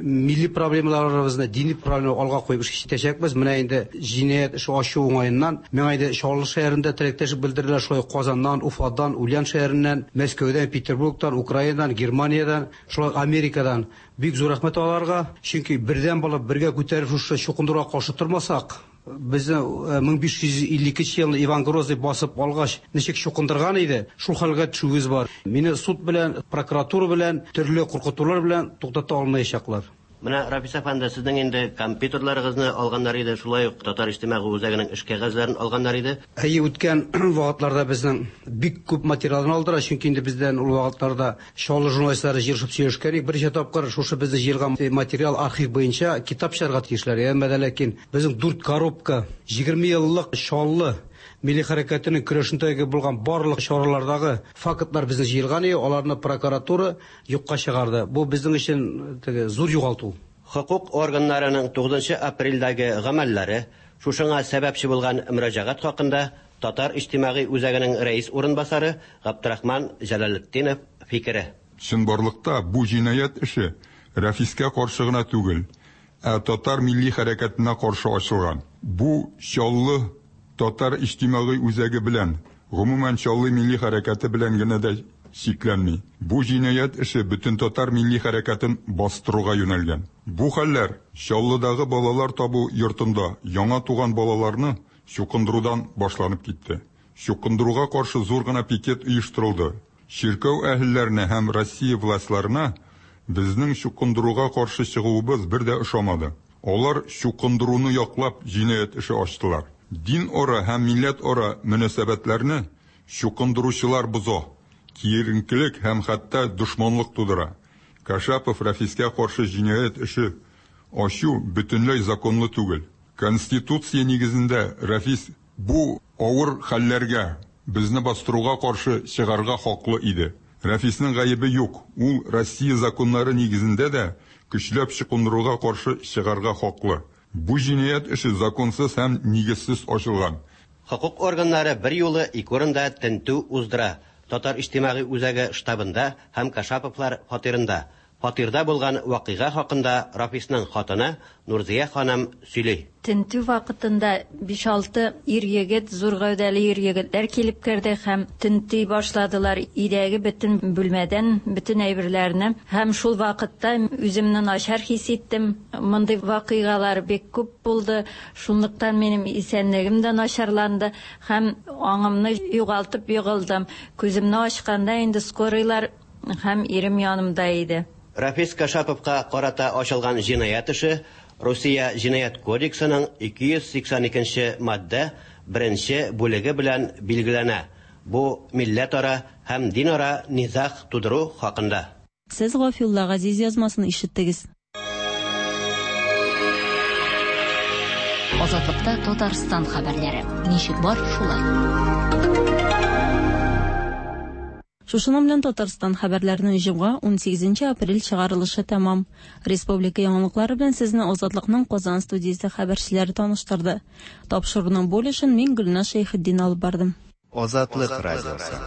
S20: милли проблемаларыбызны, дини проблемаларны алга куеп эш итәчәкбез. Менә инде җинаять эше ачу уңаеннан миңа инде Чаллы шәһәрендә теләктәшлек белдерделәр, шулай Казаннан, Уфадан, Ульян шәһәреннән, Мәскәүдән, Петербургтан, Украинадан, Германиядән, шулай Америкадан. Бик зур рәхмәт аларга, чөнки бердәм булып бергә күтәреп шушы чукындыруга каршы тормасак, Безне мең биш йөз илле икенче елны Иван Грозный басып алгач, ничек чукындырган иде, шул хәлгә төшүебез бар. Мине суд белән, прокуратура белән, төрле куркытулар белән туктата алмаячаклар.
S19: Менә Рафис әфәнде, сезнең инде компьютерларыгызны алганнар иде, шулай ук Татар иҗтимагый үзәгенең эш кәгазьләрен алганнар иде.
S20: Әйе, үткән вакытларда безнең бик күп материалны алдылар, чөнки инде бездән ул вакытларда Чаллы журналистлары җыелышып сөйләшкән идек. Берничә тапкыр шушы безне җыелган материал архив буенча китап чыгарга тиешләр. Әмма дә ләкин безнең дүрт коробка егерме еллык Чаллы милли хәрәкәтенең көрәшендәге булган барлык чаралардагы фактлар безне җыелган иде, аларны прокуратура юкка чыгарды. Бу безнең өчен теге зур югалту.
S19: Хокук органнарының тугызынчы апрельдәге гамәлләре шушыңа сәбәпче булган мөрәҗәгать хакында Татар иҗтимагый үзәгенең рәис урынбасары Габдрахман Җәләлетдинов фикере.
S21: Чынбарлыкта бу җинаять эше Рәфискә каршы гына түгел, ә татар милли хәрәкәтенә каршы ачылган. Бу Чаллы Татар иҗтимагый үзәге белән, гомумән Чаллы милли хәрәкәте белән генә дә чикләнми. Бу җинаять эше бөтен татар милли хәрәкәтен бастыруга юнәлгән. Бу хәлләр Чаллыдагы балалар табу йортында яңа туган балаларны чукындырудан башланып китте. Чукындыруга каршы зур гына пикет оештырылды. Чиркәү әһелләренә һәм Россия властьларына безнең чукындыруга каршы чыгуыбыз бер дә ошамады. Алар чукындыруны яклап җинаять эше ачтылар. Дин ара һәм милләт ара мөнәсәбәтләрне чукындыручылар боза, киеренкелек һәм хәтта дошманлык тудыра. Кашапов Рафискә каршы җинаять эше ачу бөтенләй законлы түгел. Конституция нигезендә Рафис бу авыр хәлләргә, безне бастыруга каршы чыгарга хаклы иде. Рафисның гаебе юк. Ул Россия законнары нигезендә дә көчләп чукындыруга каршы чыгарга хаклы. Бу җинаять эше законсыз һәм нигезсез ачылган.
S19: Хокук органнары бер юлы ике урында тентү уздыра. Татар иҗтимагый үзәге штабында һәм Кашаповлар фатирында. Фатирда булган вакыйга хакында Рафисның хатыны Нурзия ханым сөйли.
S22: Тентү вакытында биш-алты ир егет, зур гәүдәле ир егетләр килеп керде һәм тентү башладылар. Өйдәге бөтен бүлмәдән бөтен әйберләрне һәм шул вакытта үземне начар хис иттем. Мондый вакыйгалар бик күп булды. Шунлыктан минем исәнлегем дә начарланды һәм аңымны югалтып егылдым. Күземне ачканда инде скорыйлар һәм ирем янымда иде.
S19: Рафис Кашаповка карата ачылган җинаять эше Русия җинаять кодексының ике йөз сиксән икенче маддә беренче бүлеге белән билгеләнә. Бу милләтара һәм динара низаг тудыру хакында.
S10: Сез Гафиулла Газиз язмасын ишеттегез.
S2: Азатлыкта Татарстан хәбәрләре. Ничек бар, шулай.
S10: Шушының белән Татарстан хәбәрләренең җомга унсигезенче апрель чыгарылышы тәмам. Республика яңалыклары белән сезне Азатлыкның Казан студиясе хәбәрчеләре таныштырды. Тапшыруның бу өлешен мин Гөлназ Шәйхетдин алып бардым.
S4: Азатлык радиосы.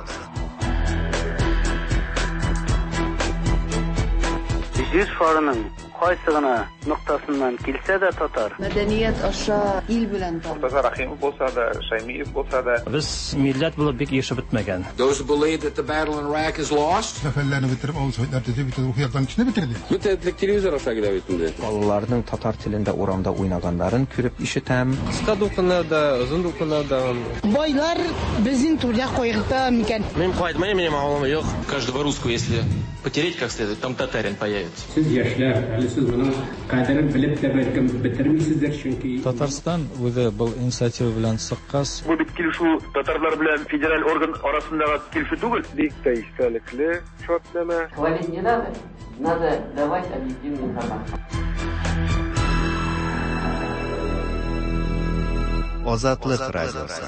S23: Җир шарының кайсы гына ноктасыннан килсә дә татар.
S24: Мәдәният аша ил белән таныш.
S25: Мортаза Рахимов булса да, Шаймиев булса да.
S26: Без милләт булып бик ешып бетмәгән.
S27: Those who believe that the battle in Iraq is lost.
S28: Сәфәрләрне бетереп, авыл советлар төзеп, бөтен рухи яктан кешене бетерде.
S6: Бөтен телевизор аша килә бит инде.
S3: Балаларның татар телендә урамда уйнаганнарын күреп ишетәм.
S11: Кыска дулкыннарда, озын дулкыннарда.
S29: Байлар безнең түрдә кайгырта микән?
S11: Мин кайтмыйм, минем авылым юк.
S7: Каждого русского, если потереть как следует, там татарин появится.
S30: Сез яшьләр, әле сез моның кадерен белеп тә бәлкем бетермисездер, чөнки
S31: Татарстан үзе был инициатива белән чыккач.
S32: Бу бит килешү татарлар белән федераль орган арасындагы килешү түгел.
S25: Бик тә истәлекле шартнамә.
S33: Хвалить не надо, надо давать объективную информацию.
S4: Азатлык радиосы.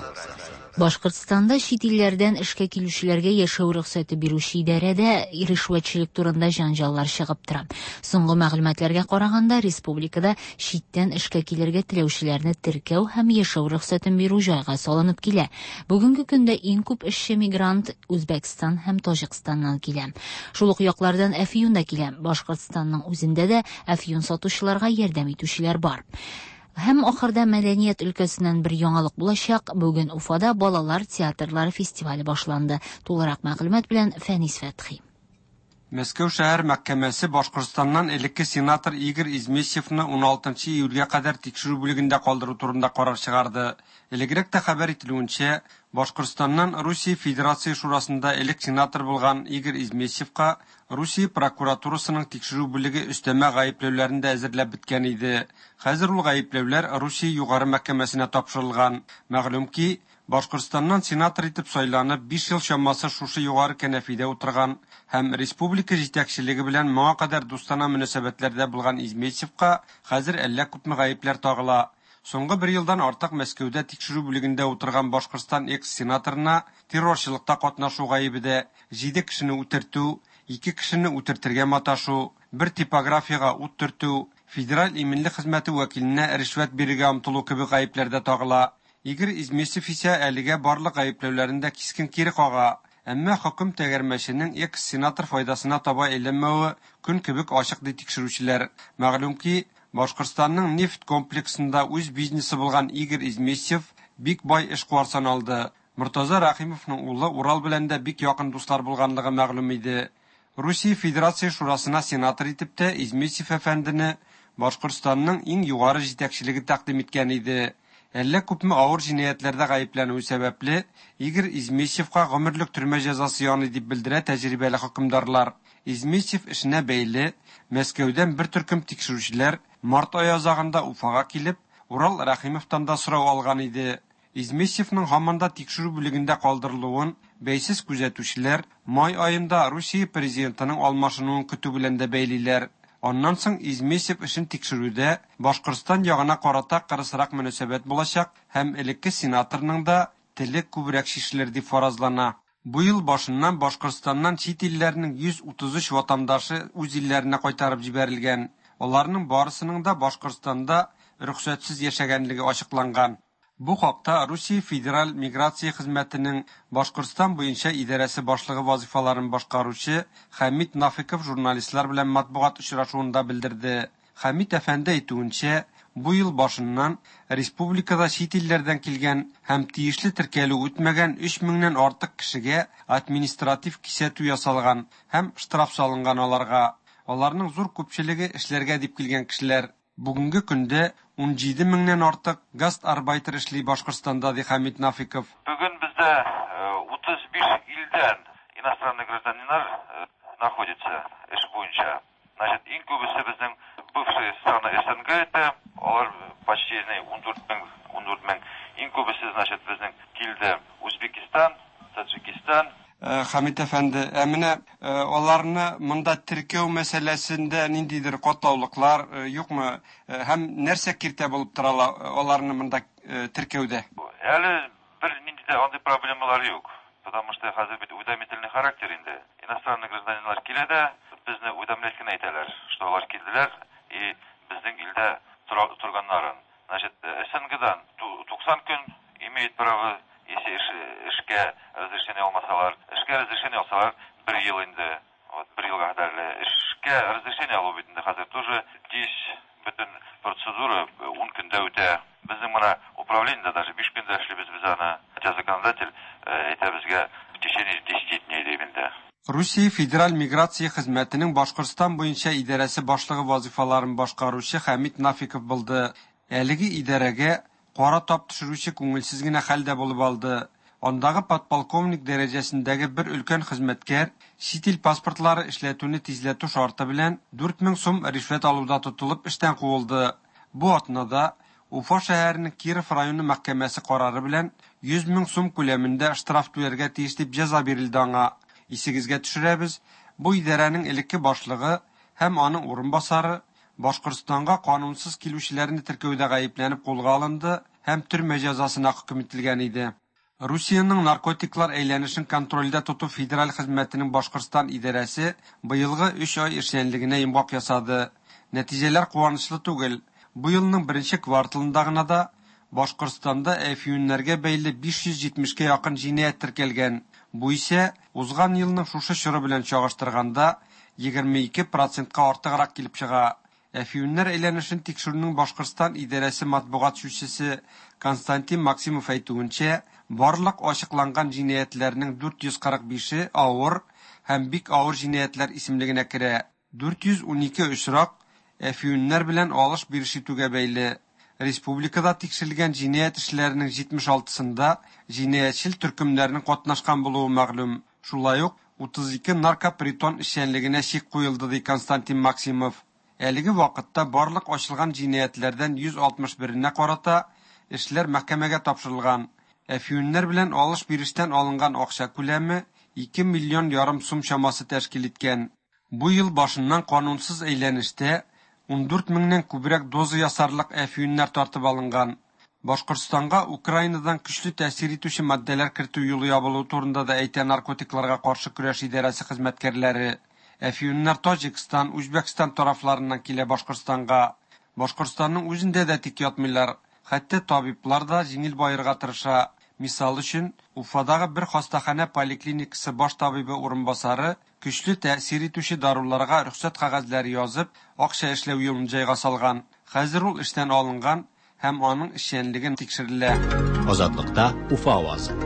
S2: Башкортстанда чит илләрдән эшкә килүчеләргә яшәү рөхсәте бирүче идарәдә ришвәтчелек турында җанҗаллар чыгып тора. Соңгы мәгълүматларга караганда, республикада читтән эшкә килергә теләүчеләрне теркәү һәм яшәү рөхсәтен бирү җайга салынып килә. Бүгенге көндә иң күп эшче мигрант Үзбәкстан һәм Таҗикстаннан килә. Шул ук яклардан әфьюн да килә. Башкортстанның үзендә дә әфьюн сатучыларга ярдәм итүчеләр бар. Һәм ахырда мәдәният өлкәсеннән бер яңалык булачак. Бүген Уфада балалар театрлары фестивале башланды. Тулырак мәгълүмат белән Фәнис Фәтхи.
S1: Мәскәү шәһәр мәхкәмәсе Башкортстаннан элекке сенатор Игорь Измесьевны уналтынчы июльгә кадәр тикшерү бүлегендә калдыру турында карар чыгарды. Элегрәк тә хәбәр ителүенчә, Башкортстаннан Русия Федерация Шурасында элек сенатор булган Игорь Измесьевка Русия прокуратурасының тикшерү бүлеге өстәмә гаепләүләрен дә әзерләп беткән иде. Хәзер ул гаепләүләр Русия Югары мәхкәмәсенә тапшырылган. Мәгълүм ки, Башкортстаннан сенатор итеп сайланып, биш ел чамасы шушы югары кәнәфидә утырган һәм республика җитәкчелеге белән моңа кадәр дустана мөнәсәбәтләрдә булган Измесьевка хәзер әллә күпме гаепләр тагыла. Соңгы бер елдан артык Мәскәүдә тикшерү бүлегендә утырган Башкортстан экс-сенаторына террорчылыкта катнашу гаебе дә, җиде кешене үтертү, ике кешене үтертергә маташу, бер типографиягә ут төртү, федераль иминлек хезмәте вәкиленә ришвәт бирергә омтылу кебек гаепләр дә тагыла. Игорь Измесьев исә әлегә барлык гаепләүләрен дә кискен кире кага. Әмма хөкем тәгәрмәченең экс-сенатор файдасына таба әйләнмәве көн кебек ачык ди тикшерүчеләр. Мәгълүм ки, Башкортстанның нефть комплексында үз бизнесы булган Игорь Измесьев бик бай эшкуар саналды. Мортаза Рәхимовның улы Урал белән дә бик якын дуслар булганлыгы мәгълүм иде. Русия Федерация Шурасына сенатор итеп тә Измесьев әфәндене Башкортстанның иң югары җитәкчелеге тәкъдим иткән иде. Әллә күпме авыр җинаятьләрдә гаепләнүе сәбәпле, Игорь Измесьевка гомерлек төрмә җәзасы яный дип белдерә тәҗрибәле хөкемдарлар. Измесьев эшенә бәйле Мәскәүдән бер төркем тикшерүчеләр март ае азагында Уфага килеп, Урал Рәхимовтан да сорау алган иде. Измесьевның һаман да тикшерү бүлегендә калдырылуын бәйсез күзәтүчеләр май аенда Русия президентының алмашынуын көтү белән дә бәйлиләр. Аннан соң Измесьев эшен тикшерүдә Башкортстан ягына карата кырысрак мөнәсәбәт булачак һәм элекке сенаторның да теле күбрәк чишелер дип фаразлана. Бу ел башыннан Башкортстаннан чит илләрнең йөз утыз өч ватандашы үз илләренә кайтарып җибәрелгән. Аларның барысының да Башкортстанда рөхсәтсез яшәгәнлеге ачыкланган. Бу хакта Русия Федераль миграция хезмәтенең Башкортстан буенча идарәсе башлыгы вазифаларын башкаручы Хәмит Нафиков журналистлар белән матбугат очрашуында белдерде. Хәмит әфәнде әйтүенчә, бу ел башыннан республикада чит илләрдән килгән һәм тиешле теркәлү үтмәгән өч меңнән артык кешегә административ кисәтү ясалган һәм штраф салынган аларга. Аларның зур күпчелеге эшләргә дип килгән кешеләр. Бүгенге көндә ун җиде меңнән артык гастарбайтер эшли Башкортстанда, ди Хәмит Нафиков.
S5: Бүген бездә утыз биш илдән иностранный гражданиннар находится эш буенча. Значит, иң күбесе безнең бывшие страны СНГ это, алар почти ун дүрт мең, ун дүрт мең. Иң күбесе, значит, безнең килде Үзбекистан, Таджикистан.
S1: Хәмит әфәнде, ә менә аларны монда теркәү мәсьәләсендә ниндидер катлаулыклар юкмы? Һәм нәрсә киртә булып тора аларны монда теркәүдә?
S5: Әле бер нинди дә андый проблемалар юк, потому что хәзер бит уведомительный характер инде. Иностранный гражданиннар килә дә, безне уведомлять кенә итәләр, что алар килделәр и безнең илдә торганнарын. Значит, СНГдан туксан көн имеет право, если эшкә разрешение алмасалар, эшкә разрешение алсалар, бер ел инде, вот бер елга кадәр эшкә разрешение алу бит инде хәзер тоже тиз бөтен процедура ун көндә үтә. Безнең менә управлениедә даже биш көндә эшлибез без аны. Хотя законодатель әйтә безгә в течение десяти дней дип инде.
S1: Русия Федераль миграция хезмәтенең Башкортстан буенча идарәсе башлыгы вазифаларын башкаручы Хәмит Нафиков булды. Әлеге идарәгә кара тап төшерүче күңелсез генә хәл дә булып алды. Андагы подполковник дәрәҗәсендәге бер өлкән хезмәткәр чит ил паспортлары эшләтүне тизләтү шарты белән дүрт мең сум ришвәт алуда тотылып эштән куылды. Бу атнада Уфа шәһәренең Киров районы мәхкәмәсе карары белән йөз мең сум күләмендә штраф түләргә тиеш дип җәза бирелде аңа. Исегезгә төшерәбез, бу идарәнең элекке башлыгы һәм аның урынбасары Башкортстанга канунсыз килүчеләрне теркәүдә гаепләнеп кулга алынды һәм төрмә җәзасына хөкем ителгән иде. Русиянең наркотиклар әйләнешен контрольдә тоту федераль хезмәтенең Башкортстан идарәсе быелгы өч ай эшчәнлегенә йомгак ясады. Нәтиҗәләр куанычлы түгел. Бу елның беренче кварталында гына да Башкортстанда әфьюннәргә бәйле биш йөз җитмешкә якын җинаять теркәлгән. Бу исә узган елның шушы чоры белән чагыштырганда егерме ике процентка артыграк килеп чыга. Әфьюннәр әйләнешен тикшерүнең Башкортстан идарәсе матбугат сүзчесе Константин Максимов әйтүенчә, барлык ачыкланган җинаятьләрнең дүрт йөз кырык бише авыр һәм бик авыр җинаятьләр исемлегенә керә. дүрт йөз унике очрак әфьюннәр белән алыш-биреш итүгә бәйле. Республикада тикшерелгән җинаять эшләренең җитмеш алтысында җинаятьчел төркемнәрнең катнашкан булуы мәгълүм. Шулай ук утыз ике наркопритон эшчәнлегенә чик куелды, ди Константин Максимов. Әлеге вакытта барлык ачылган җинаятьләрдән йөз алтмыш беренә карата эшләр мәхкәмәгә тапшырылган. Әфьюннәр белән алыш-бирештән алынган акча күләме ике миллион ярым сум чамасы тәшкил иткән. Бу ел башыннан канунсыз әйләнештә ундүрт меңнән күбрәк доза ясарлык әфьюннәр тартып алынган. Башкортстанга Украинадан көчле тәэсир итүче матдәләр кертү юлы ябылу турында да әйтә наркотикларга каршы көрәш идарәсе хезмәткәрләре. Әфьюннәр Таҗикстан, Үзбәкстан тарафларыннан килә Башкортстанга. Башкортстанның үзендә дә тик ятмыйлар. Хәтта табиблар да җиңел баерга тырыша. Мисал өчен, Уфадагы бер хастаханә поликлиникасы баш табибы урынбасары көчле тәэсир итүче даруларга рөхсәт кәгазьләре язып, акча эшләү юлын җайга салган. Хәзер ул эштән алынган һәм аның эшчәнлеген тикшерелә.
S8: Азатлыкта Уфа авазы.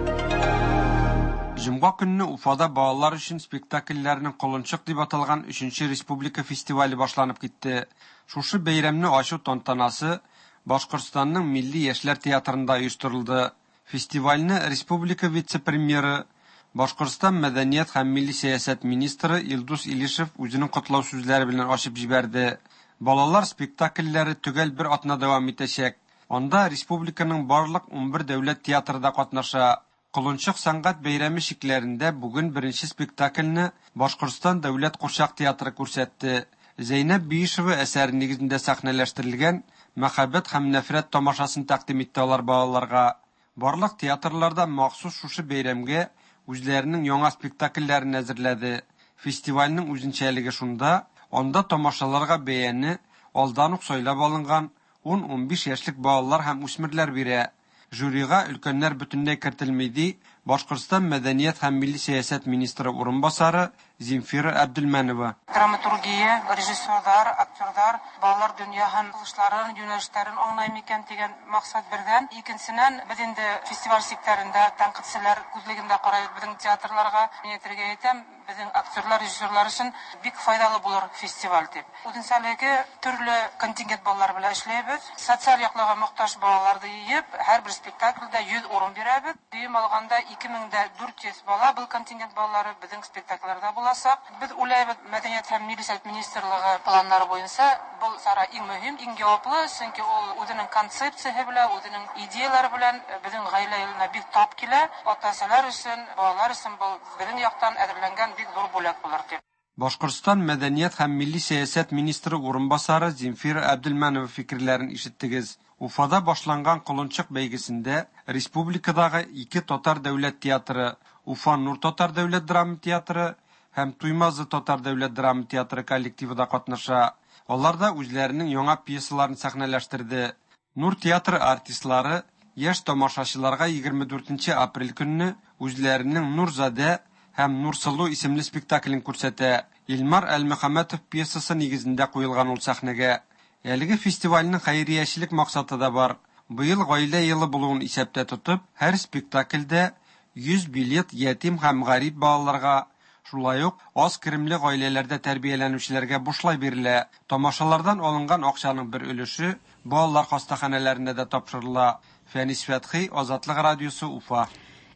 S1: Җомга көнне Уфада балалар өчен спектакльләрнең Колынчык дип аталган өченче республика фестивале башланып китте. Шушы бәйрәмне ачу тантанасы Башкортстанның Милли яшьләр театрында оештырылды. Фестивальне республика вице-премьеры, Башкортстан мәдәният һәм милли сәясәт министры Илдус Илишев үзенең котлау сүзләре белән ачып җибәрде. Балалар спектакльләре төгәл бер атна дәвам итәчәк. Анда республиканың барлык унбер дәүләт театры да катнаша. Колынчык сәнгать бәйрәме чикләрендә бүген беренче спектакльне Башкортстан дәүләт курчак театры күрсәтте. Зәйнәб Биишева әсәре нигезендә сәхнәләштерелгән Мәхәббәт һәм нәфрәт тамашасын тәкъдим итте алар балаларга. Барлык театрларда махсус шушы бәйрәмгә үзләренең яңа спектакльләрен әзерләде. Фестивальнең үзенчәлеге шунда, анда тамашаларга бәяне алдан ук сайлап алынган ун-унбиш яшьлек балалар һәм үсмерләр бирә. Жюрига өлкәннәр бөтенләй кертелми, ди Башкортстан мәдәният һәм милли сәясәт министры урынбасары Земфира Әбделмәнова.
S9: Драматургия, режиссерлар, актерлар, балалар дөнья һәм кылышларын, юнәлешләрен аңлай микән дигән максат бердән. Икенченнән, без инде фестиваль секторында тәнкыйтьчеләр күзлегендә карайбыз безнең театрларга. Мин әйтергә әйтәм, безнең актерлар, режиссерлар өчен бик файдалы булыр фестиваль дип. Үзенчәлеге төрле контингент балалар белән эшләйбез. Социаль яклауга мохтаҗ балаларны җыеп, һәрбер спектакльдә йөз урын бирәбез. Дөем алганда ике мең дә дүрт йөз бала был контингент балалары безнең спектакльләрдә булачак. Без уйлайбыз, мәдәният һәм милли сәясәт министрлыгы планнары буенча был чара иң мөһим, иң җаваплы, чөнки ул үзенең концепциясе белән, үзенең идеялары белән безнең гаилә елына бик тап килә. Ата-аналар өчен, балалар өчен был безнең яктан әзерләнгән бик зур бүләк булыр дип.
S1: Башкортстан мәдәният һәм милли сәясәт министры урынбасары Земфира Әбделмәнова фикерләрен ишеттегез. Уфада башланган Колынчык бәйгесендә республикадагы ике татар дәүләт театры, Уфа Нур татар дәүләт драма театры һәм Туймазы татар дәүләт драма театры коллективы да катнаша. Алар да үзләренең яңа пьесаларын сәхнәләштерде. Нур театры артистлары яшь тамашачыларга егерме дүртенче апрель көнне үзләренең Нурзадә һәм Нурсылу исемле спектаклен күрсәтә. Илмар Әлмөхәммәтов пьесасы нигезендә куелган ул сәхнәгә. Әлеге фестивальнең хәйриячелек максаты да бар. Быел гаилә елы булуын исәптә тотып, һәр спектакльдә йөз билет ятим һәм гарип балаларга, шулай ук аз керемле гаиләләрдә тәрбияләнүчеләргә бушлай бирелә. Тамашалардан алынган акчаның бер өлеше балалар хастаханәләренә дә тапшырыла. Фәнис Фәтхи, Азатлык радиосы, Уфа.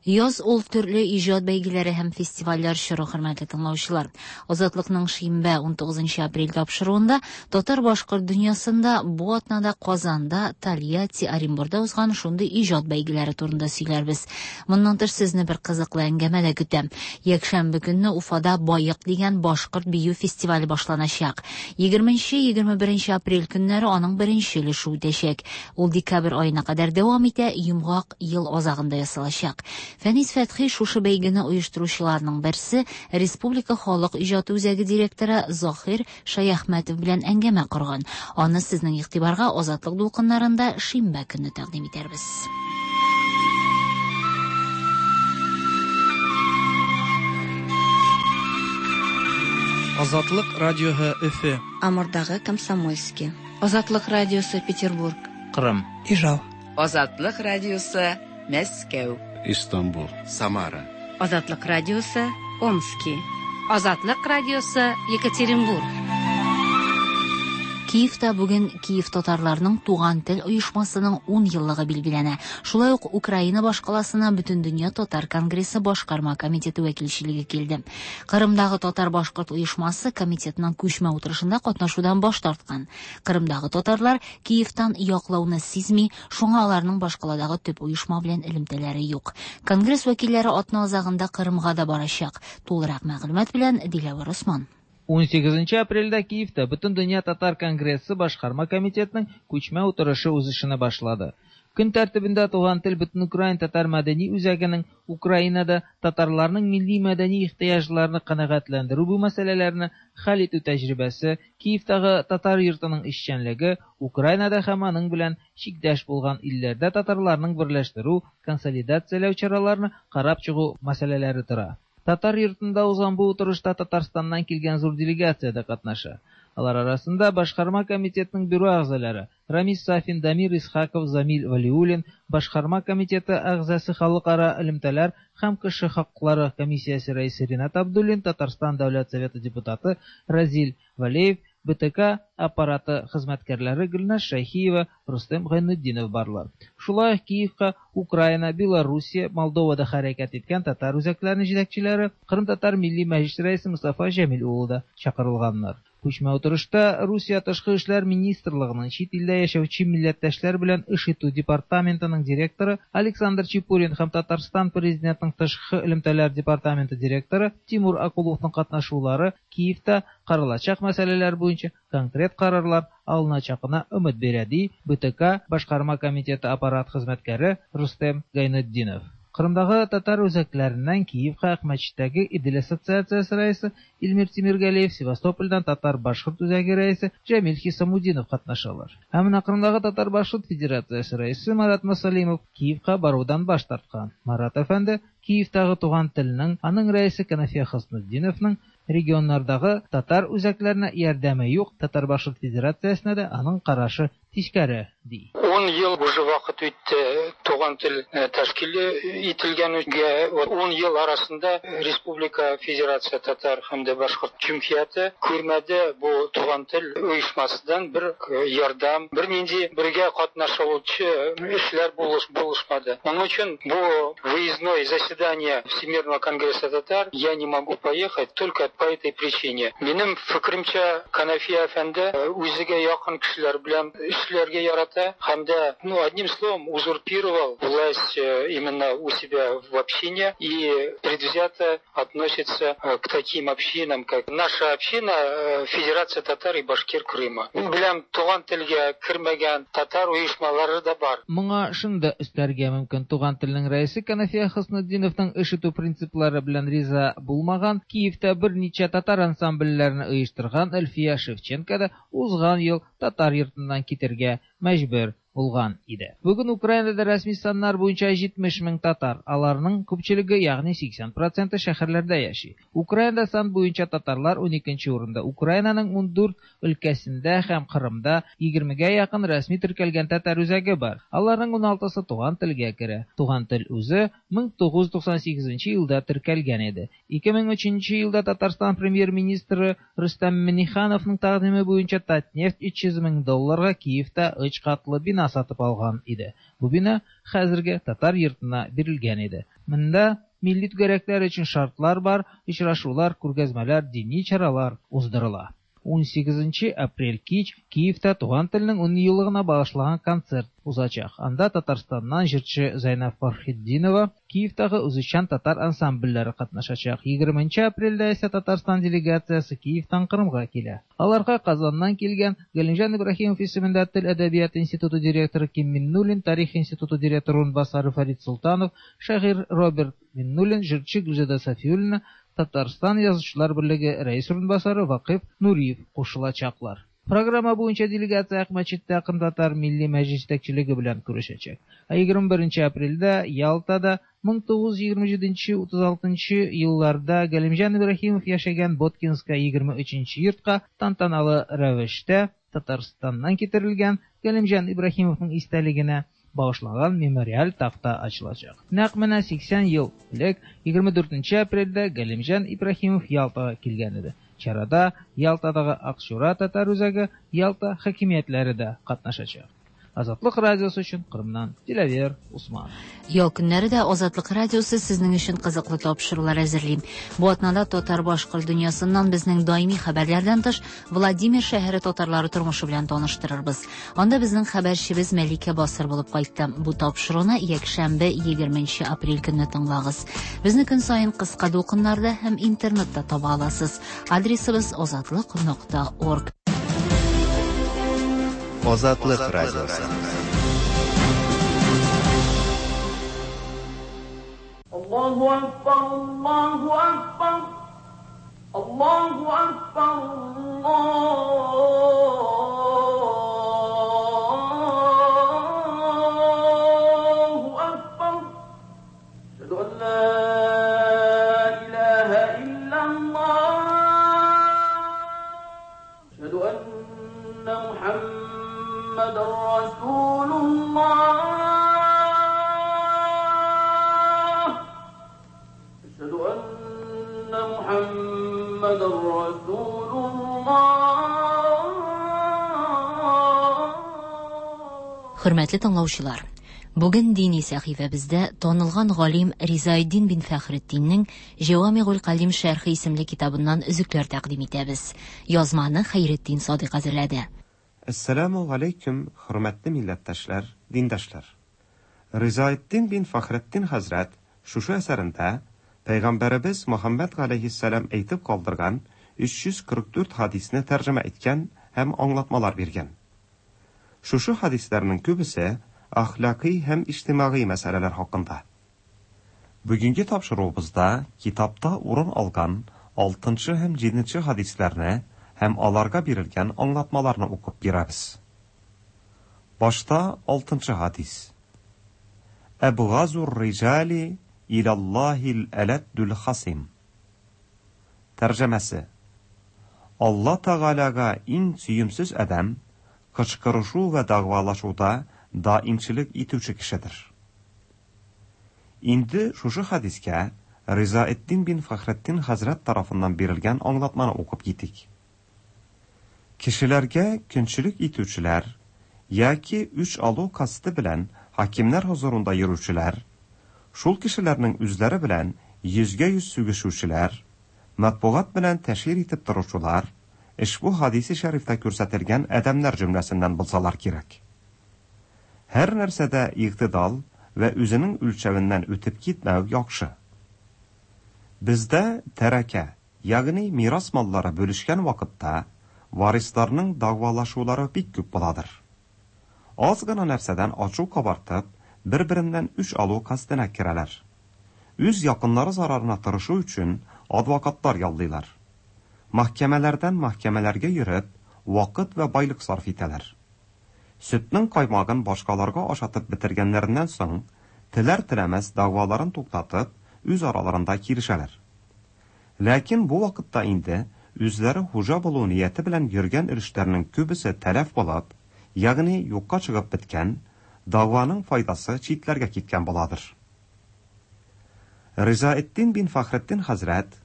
S2: Яз ул төрле иҗат бәйгеләре һәм фестивальләр чоры, хөрмәтле тыңлаучылар. Азатлыкның шимбә ун тугызынчы апрель тапшыруында татар-башкорт дөньясында бу атнада Казанда, Тольятти, Оренбургда узган шундый иҗат бәйгеләре турында сөйләрбез. Моннан тыш сезне бер кызыклы әңгәмә дә көтә. Якшәмбе көнне Уфада Байык дигән башкорт бию фестивале башланачак. Егерменче, егерме беренче апрель көннәре аның беренче өлеше үтәчәк. Ул декабрь аена кадәр дәвам итә, йомгак ел азагында ясалачак. Фәнис Фәтхи шушы бәйгене оештыручыларның берсе, Республика халык иҗаты үзәге директоры Заһир Шаяхмәтов белән әңгәмә корган. Аны сезнең игътибарга Азатлык дулкыннарында шимбә көнне тәкъдим итәрбез.
S12: Азатлык радиоһы Өфө.
S24: Амурдагы Комсомольский. Азатлык радиосы Петербург.
S12: Кырым. Ижау.
S13: Азатлык радиосы Мәскәү.
S14: Истанбул. Самара.
S15: Азатлык радиосы Омски.
S13: Азатлык радиосы, Екатеринбург.
S2: Киевта бүген Киев татарларының Туган тел оешмасының ун еллыгы билгеләнә. Шулай ук Украина башкаласына Бөтендөнья татар конгрессы башкарма комитеты вәкилчелеге килде. Кырымдагы татар-башкорт оешмасы комитетның күчмә утырышында катнашудан баш тарткан. Кырымдагы татарлар Киевтан яклауны сизми, шуңа аларның башкаладагы төп оешма белән элемтәләре юк. Конгресс вәкилләре атна азагында Кырымга да барачак. Тулырак мәгълүмат белән Диләвәр Усман.
S10: Унсигезенче апрельдә Киевта Бөтендөнья татар конгрессы башкарма комитетының күчмә утырышы үз эшенә башлады. Көн тәртибендә Туган тел Бөтенукраин татар мәдәни үзәгенең Украинада татарларның милли мәдәни ихтыяҗларын канәгатьләндерү бу мәсьәләләрне хәл итү тәҗрибәсе, Киевтагы татар йортының эшчәнлеге, Украинада һәм аның белән чиктәш булган илләрдә татарларның берләштерү, консолидацияләү чараларын карап чыгу мәсьәләләре тора. Татар йортында узган бу утырышта Татарстаннан килгән зур делегация дә катнаша. Алар арасында башкарма комитетының бюро әгъзалары Рамис Сафин, Дамир Исхаков, Замил Валиуллин, башкарма комитеты әгъзасы халыкара элемтәләр һәм кеше хаклары комиссиясе рәисе Ринат Абдуллин, Татарстан Дәүләт Советы депутаты Разил Валеев, Б Т К аппараты хезмәткәрләре Гөлназ Шәйхиева, Рустем Гайнетдинов барлар. Шулай ук Киевка Украина, Белоруссия, Молдовада хәрәкәт иткән татар үзәкләренең җитәкчеләре, Кырым татар милли мәҗлесе рәисе Мустафа Җәмил улы да чакырылганнар. Күчмә утырышта Русия Тышкы эшләр министрлыгының чит илдә яшәүче милләттәшләр белән эш итү департаментының директоры Александр Чепурин һәм Татарстан президентының тышкы элемтәләр департаменты директоры Тимур Акуловның катнашулары Киевта каралачак мәсьәләләр буенча конкрет карарлар алыначагына өмет бирә, ди Б Т К башкарма комитеты аппарат хезмәткәре Рустем Гайнетдинов. Кырымдагы татар үзәкләреннән Киевка Акмәчеттәге Идел ассоциациясе рәисе Илмир Тимиргалиев, Севастопольдән татар-башкорт үзәге рәисе Җәмил Хисамудинов катнашалар. Ә менә Кырымдагы татар-башкорт федерациясе рәисе Марат Масалимов Киевка барудан баш тарткан. Марат әфәнде Киевтагы Туган телнең, аның рәисе Канафия Хөснетдиновның регионнардагы татар үзәкләренә ярдәме юк, татар-башкорт федерациясенә дә аның карашы тискәре, ди.
S14: Ун ел уже вакыт үтте Туган тел тәшкил ителгәнгә. Ун ел арасында Республика Федерация татар һәм дә башкорт җәмгыяте күрмәде бу Туган тел оешмасыдан бер ярдәм, бер нинди бергә катнашучы эшләр булыш булышмады. Моның өчен бу выездное заседание Всемирного конгресса татар я не могу поехать только по этой причине. Минем фикеремчә, Канафия әфәнде үзегә якын кешеләр белән эшләргә ярата һәм дә, ну, одним словом, узурпировал власть именно у себя в общине и предвзято относится к таким общинам, как наша община Федерация татар и башкир Крыма. Беләм, Туган телгә кермәгән татар оешмалары да бар.
S10: Моңа шуны да өстәргә мөмкин: Туган телнең рәисе Канафия Хөснетдиновның эш итү принциплары белән риза булмаган, Киевта берничә татар ансамбльләрен оештырган Әлфия Шевченко да узган ел татар йортыннан китергә мәҗбүр булган иде. Бүген Украинада рәсми саннар буенча җитмеш мең татар, аларның күпчелеге, ягъни сиксән проценты шәһәрләрдә яши. Украинада сан буенча татарлар уникенче урында. Украинаның ундүрт өлкәсендә һәм Кырымда егермегә якын рәсми теркәлгән татар үзәге бар. Аларның уналтысы Туган телгә керә. Туган тел үзе мең тугыз йөз туксан сигезенче елда теркәлгән иде. ике мең өченче елда Татарстан премьер-министры Рөстәм Миңнехановның тәкъдиме буенча Татнефть өч йөз мең долларга Киевта өч катлы бина сатып алган иде. Бу бина хәзерге татар йортына бирелгән иде. Монда милли түгәрәкләр өчен шартлар бар, очрашулар, күргәзмәләр, дини чаралар уздырыла. Унсигезенче апрель кич Киевта Туган телнең ун еллыгына багышланган концерт узачак. Анда Татарстаннан җырчы Зәйнәб Фәрхетдинова, Киевтагы үзешчән татар ансамбльләре катнашачак. Егерменче апрельдә исә Татарстан делегациясе Киевтан Кырымга килә. Аларга Казаннан килгән Галимҗан Ибраһимов исемендә Тел әдәбияты институты директоры Ким Миннуллин, Тарих институты директоры урынбасары Фәрид Солтанов, шагыйрь Роберт Миннуллин, җырчы Гөлзада Сафиуллина, Татарстан Язучылар берлеге рәис урынбасары Вакыйф Нуриев кушылачаклар. Программа буенча делегация Акмәчеттә Кырым Милли Мәҗлес җитәкчелеге белән күрешәчәк. Ә егерме беренче апрельдә Ялтада мең тугыз йөз егерме җиденче-утыз алтынчы елларда Галимҗан Ибраһимов яшәгән Боткинская егерме өченче йортка тантаналы рәвештә Татарстаннан китерелгән Галимҗан Ибраһимовның истәлегенә багышланган мемориаль такта ачылачак. Нәкъ менә сиксән ел элек егерме дүртенче апрельдә Галимҗан Ибраһимов Ялтага килгән иде. Чарада Ялтадагы Акчура татар үзәге, Ялта хакимиятләре дә катнашачак. Азатлык радиосы өчен Кырымнан Диләвер Усман.
S2: Ял көннәре дә Азатлык радиосы сезнең өчен кызыклы тапшырулар әзерли. Бу атнада татар-башкорт дөньясыннан безнең даими хәбәрләрдән тыш Владимир шәһәре татарлары тормышы белән таныштырырбыз. Анда безнең хәбәрчебез Мәликә Басыр булып кайтты. Бу тапшыруны якшәмбе егерменче апрель көнне тыңлагыз. Безне көн саен кыска дулкыннарда һәм интернетта таба аласыз. Адресыбыз азатлык нокта орг.
S4: Азатлык радиосы.
S6: Аллаһу акбар, Аллаһу акбар, Аллаһу акбар, Аллаһу акбар. Әшһәду ан ла илаһа иллаллаһ. Әшһәду анна Мухаммадан Расулуллаһ. Әшһәду анна Мухаммадан Расулуллаһ.
S2: Хөрмәтле тыңлаучылар, бүген дини сәхифәбездә танылган галим Ризаэддин бин Фәхретдиннең Җавамигул Калим шәрхе исемле китабыннан өзекләр тәкъдим итәбез. Язманы Хәйретдин Садыйк әзерләде.
S15: Әссәламу алейкум, хөрмәтле милләттәшләр, диндәшләр. Ризаэддин бин Фәхретдин хәзрәт шушы әсәрендә Пәйгамбәребез Мөхәммәд галәйһиссәлам әйтеп калдырган өч йөз кырык дүрт хадисне тәрҗемә иткән һәм аңлатмалар биргән. Шушы хадисләрнең күбесе әхлакый һәм иҗтимагый мәсьәләләр хакында. Бүгенге тапшыруыбызда китапта урын алган алтынчы һәм җиденче хадисләрне һәм аларга бирелгән аңлатмаларны укып бирәбез. Башта алтынчы хадис. Әбгазур риҗали илаллаһил әләддул хасим. Тәрҗемәсе: Алла Тәгаләгә иң сөемсез адәм кычкырышу вә дәгъвалашуда даимчелек итүче кешедер. Инде шушы хадискә Ризаэддин бин Фәхретдин хәзрәт тарафыннан бирелгән аңлатманы укып китик. Кешеләргә көнчелек итүчеләр яки үч алу касты белән хакимнәр хузурында йөрүчеләр, шул кешеләрнең үзләре белән йөзгә йөз сүгешүчеләр, матбугат белән тәшһир итеп торучылар, ошбу хадисе шәрифтә күрсәтелгән адәмнәр җөмләсеннән булсалар кирәк. Һәр нәрсәдә игътидал вә үзенең үлчәвеннән үтеп китмәү яхшы. Бездә тәрәкә, ягъни мирас маллары бүлешкән вакытта варисларның дәгъвалашулары бик күп буладыр. Аз гына нәрсәдән ачу кабартып, бер-береннән үч алу кастына керәләр. Үз якыннары зарарына тырышу өчен адвокатлар яллыйлар. Мәхкәмәләрдән мәхкәмәләргә йөреп, вакыт вә байлык сарыф итәләр. Сөтнең каймагын башкаларга ашатып бетергәннәреннән соң, теләр-теләмәс дәгъваларын туктатып, үз араларында килешәләр. Ләкин бу вакытта инде үзләре хуҗа булу нияте белән йөргән өлешләрнең күбесе тәләф булып, ягъни юкка чыгып беткән, дәгъваның файдасы читләргә киткән буладыр. Ризаэддин бин Фәхретдин хәзрәт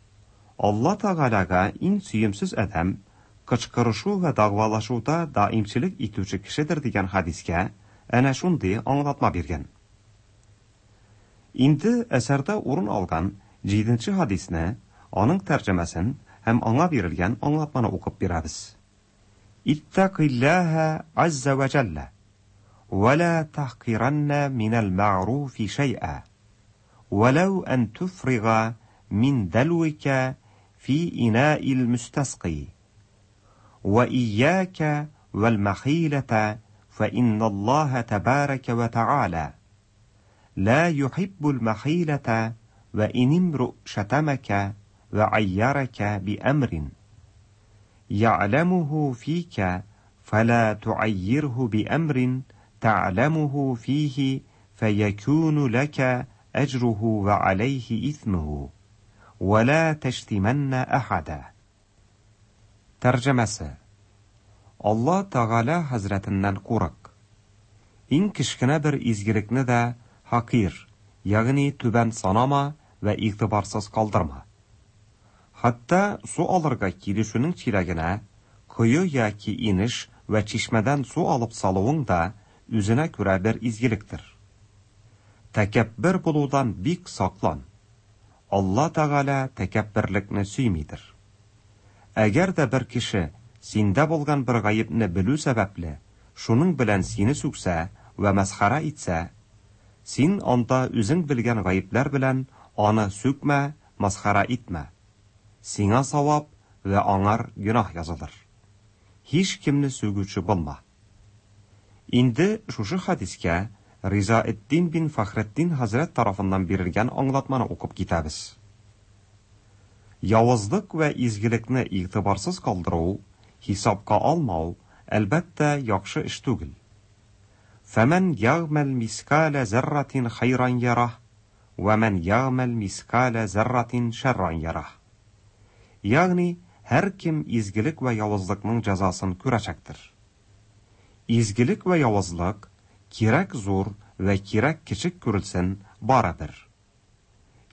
S15: Алла Тәгаләгә иң сөемсез адәм кычкырышу вә дәгъвалашуда даимчелек итүче кешедер дигән хадискә әнә шундый аңлатма биргән. Инде әсәрдә урын алган җиденче хадисне, аның тәрҗемәсен һәм аңа бирелгән аңлатманы укып бирәбез. Иттакиллаһа азза ва җалла ва ла тахкиранна минал мәгъруфи шәй'a ولو أن تفرغ من دلوك في إناء المستسقي وإياك والمخيلة فإن الله تبارك وتعالى لا يحب المخيلة وإن امرؤ شتمك وعيرك بأمر يعلمه فيك فلا تعيره بأمر تعلمه فيه فيكون لك أجره وعليه إثمه ولا تشتمن أحدا. Тәрҗемәсе: Алла Тәгалә хәзрәтеннән курык. Иң кечкенә бер изгелекне дә хакир, ягъни түбән санама вә игътибарсыз калдырма. Хәтта су алырга килешүнең чиләгенә кое яки инеш вә чишмәдән су алып салуың да үзенә күрә бер изгелектер. Тәкәббер булудан бик саклан. Алла Тәгалә тәкәбберлекне сөймидер. Әгәр дә бер кеше синдә булган бер гаепне белү сәбәпле, шуның белән сине сүксә вә мәсхәрә итсә, син анда үзең белгән гаепләр белән аны сүкмә, мәсхәрә итмә. Сиңа савап вә аңар гөнаһ язылыр. Һич кемне сүгүче булма. Инде шушы хәдискә Ризаэддин бин Фәхретдин хәзрәт тарафыннан бирелгән аңлатманы укып китәбез. Явызлык вә изгелекне игътибарсыз калдыру, хисапка алмау, әлбәттә, яхшы эш түгел. Фәмән ягъмәл мискалә зәрратин хайран ярах, вә мән ягъмәл мискалә зәрратин шәрран ярах. Ягъни, һәркем изгелек вә явызлыкның җәзасын күрәчәктер. Изгелек вә явызлык кирәк зур вә кирәк кечек күрелсен, барыбер.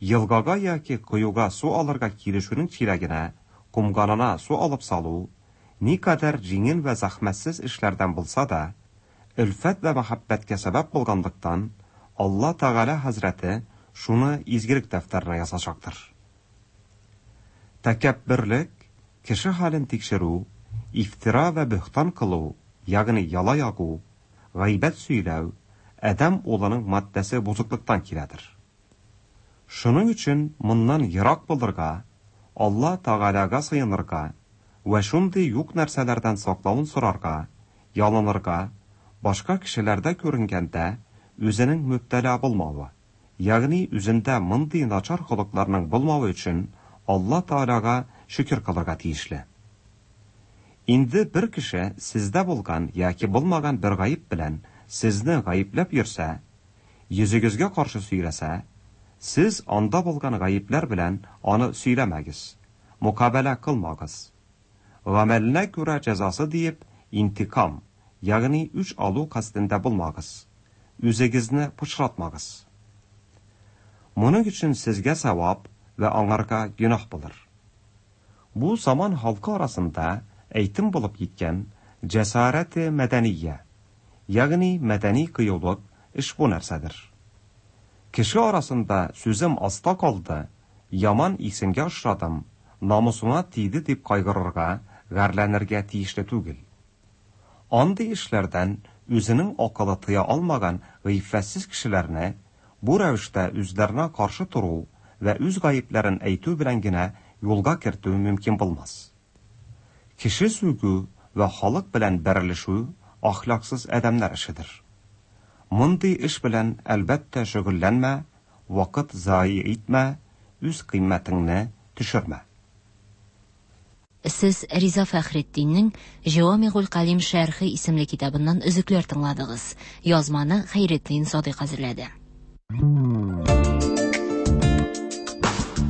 S15: Елгага яки коюга су алырга килешүнең чиләгенә, комганына су алып салу, никадәр җиңел вә зәхмәтсез эшләрдән булса да, өлфәт вә мәхәббәткә сәбәп булганлыктан, Алла Тәгалә хәзрәте шуны изгелек дәфтәренә язачактыр. Тәкәбберлек, кеше хәлен тикшерү, ифтира вә бөһтан кылу, ягъни яла ягу, гайбәт сөйләү, адәм улының маддәсе бозыклыктан киләдер. Шуның өчен моннан ерак булырга, Алла Тәгаләгә сыенырга вә шундый юк нәрсәләрдән саклавын сорарга, ялынырга, башка кешеләрдә күренгәндә үзенең мөбтәла булмавы, ягъни үзендә мондый начар холыкларның булмавы өчен Алла Тәгаләгә шөкер кылырга тиешле. Инде бер кеше сездә булган яки булмаган бер гаеп белән сезне гаепләп йөрсә, йөзегезгә каршы сөйләсә, сез анда булган гаепләр белән аны сөйләмәгез, мукабәлә кылмагыз. Гамәленә күрә җәзасы диеп, интикам, ягъни үч алу кастендә булмагыз. Үзегезне пычратмагыз. Моның өчен сезгә савап вә аңарга гөнаһ булыр. Бу заман халкы арасында әйтем булып киткән җәсарәте мәдәния, ягъни мәдәни кыюлык эш бу нәрсәдер. Кеше арасында сүзем аста калды, яман исемгә очрадым, намусыма тиде дип кайгырырга, гарьләнергә тиешле түгел. Андый эшләрдән үзенең акылы тыя алмаган гыйффәтсез кешеләрне бу рәвештә үзләренә каршы тору вә үз гаепләрен әйтү белән генә юлга кертү мөмкин булмас. Кеше сүгү вә халык белән бәрелешү әхлаксыз адәмнәр эшедер. Мондый эш белән әлбәттә шөгыльләнмә, вакыт зая итмә, үз кыйммәтеңне төшермә.
S2: Сез Риза Фәхретдиннең Җавамигуль Калим шәрхе исемле китабыннан өзекләр тыңладыгыз. Язманы Хәйретдин Садыйк әзерләде.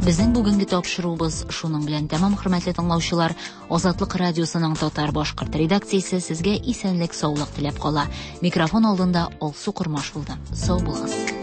S2: Безнең бүгенге тапшыруыбыз шуның белән тәмам, хөрмәтле тыңлаучылар. Азатлык радиосының татар башкорт редакциясе сезгә исәнлек, саулык теләп кала. Микрофон алдында Алсу Кормаш булды. Сау булыгыз.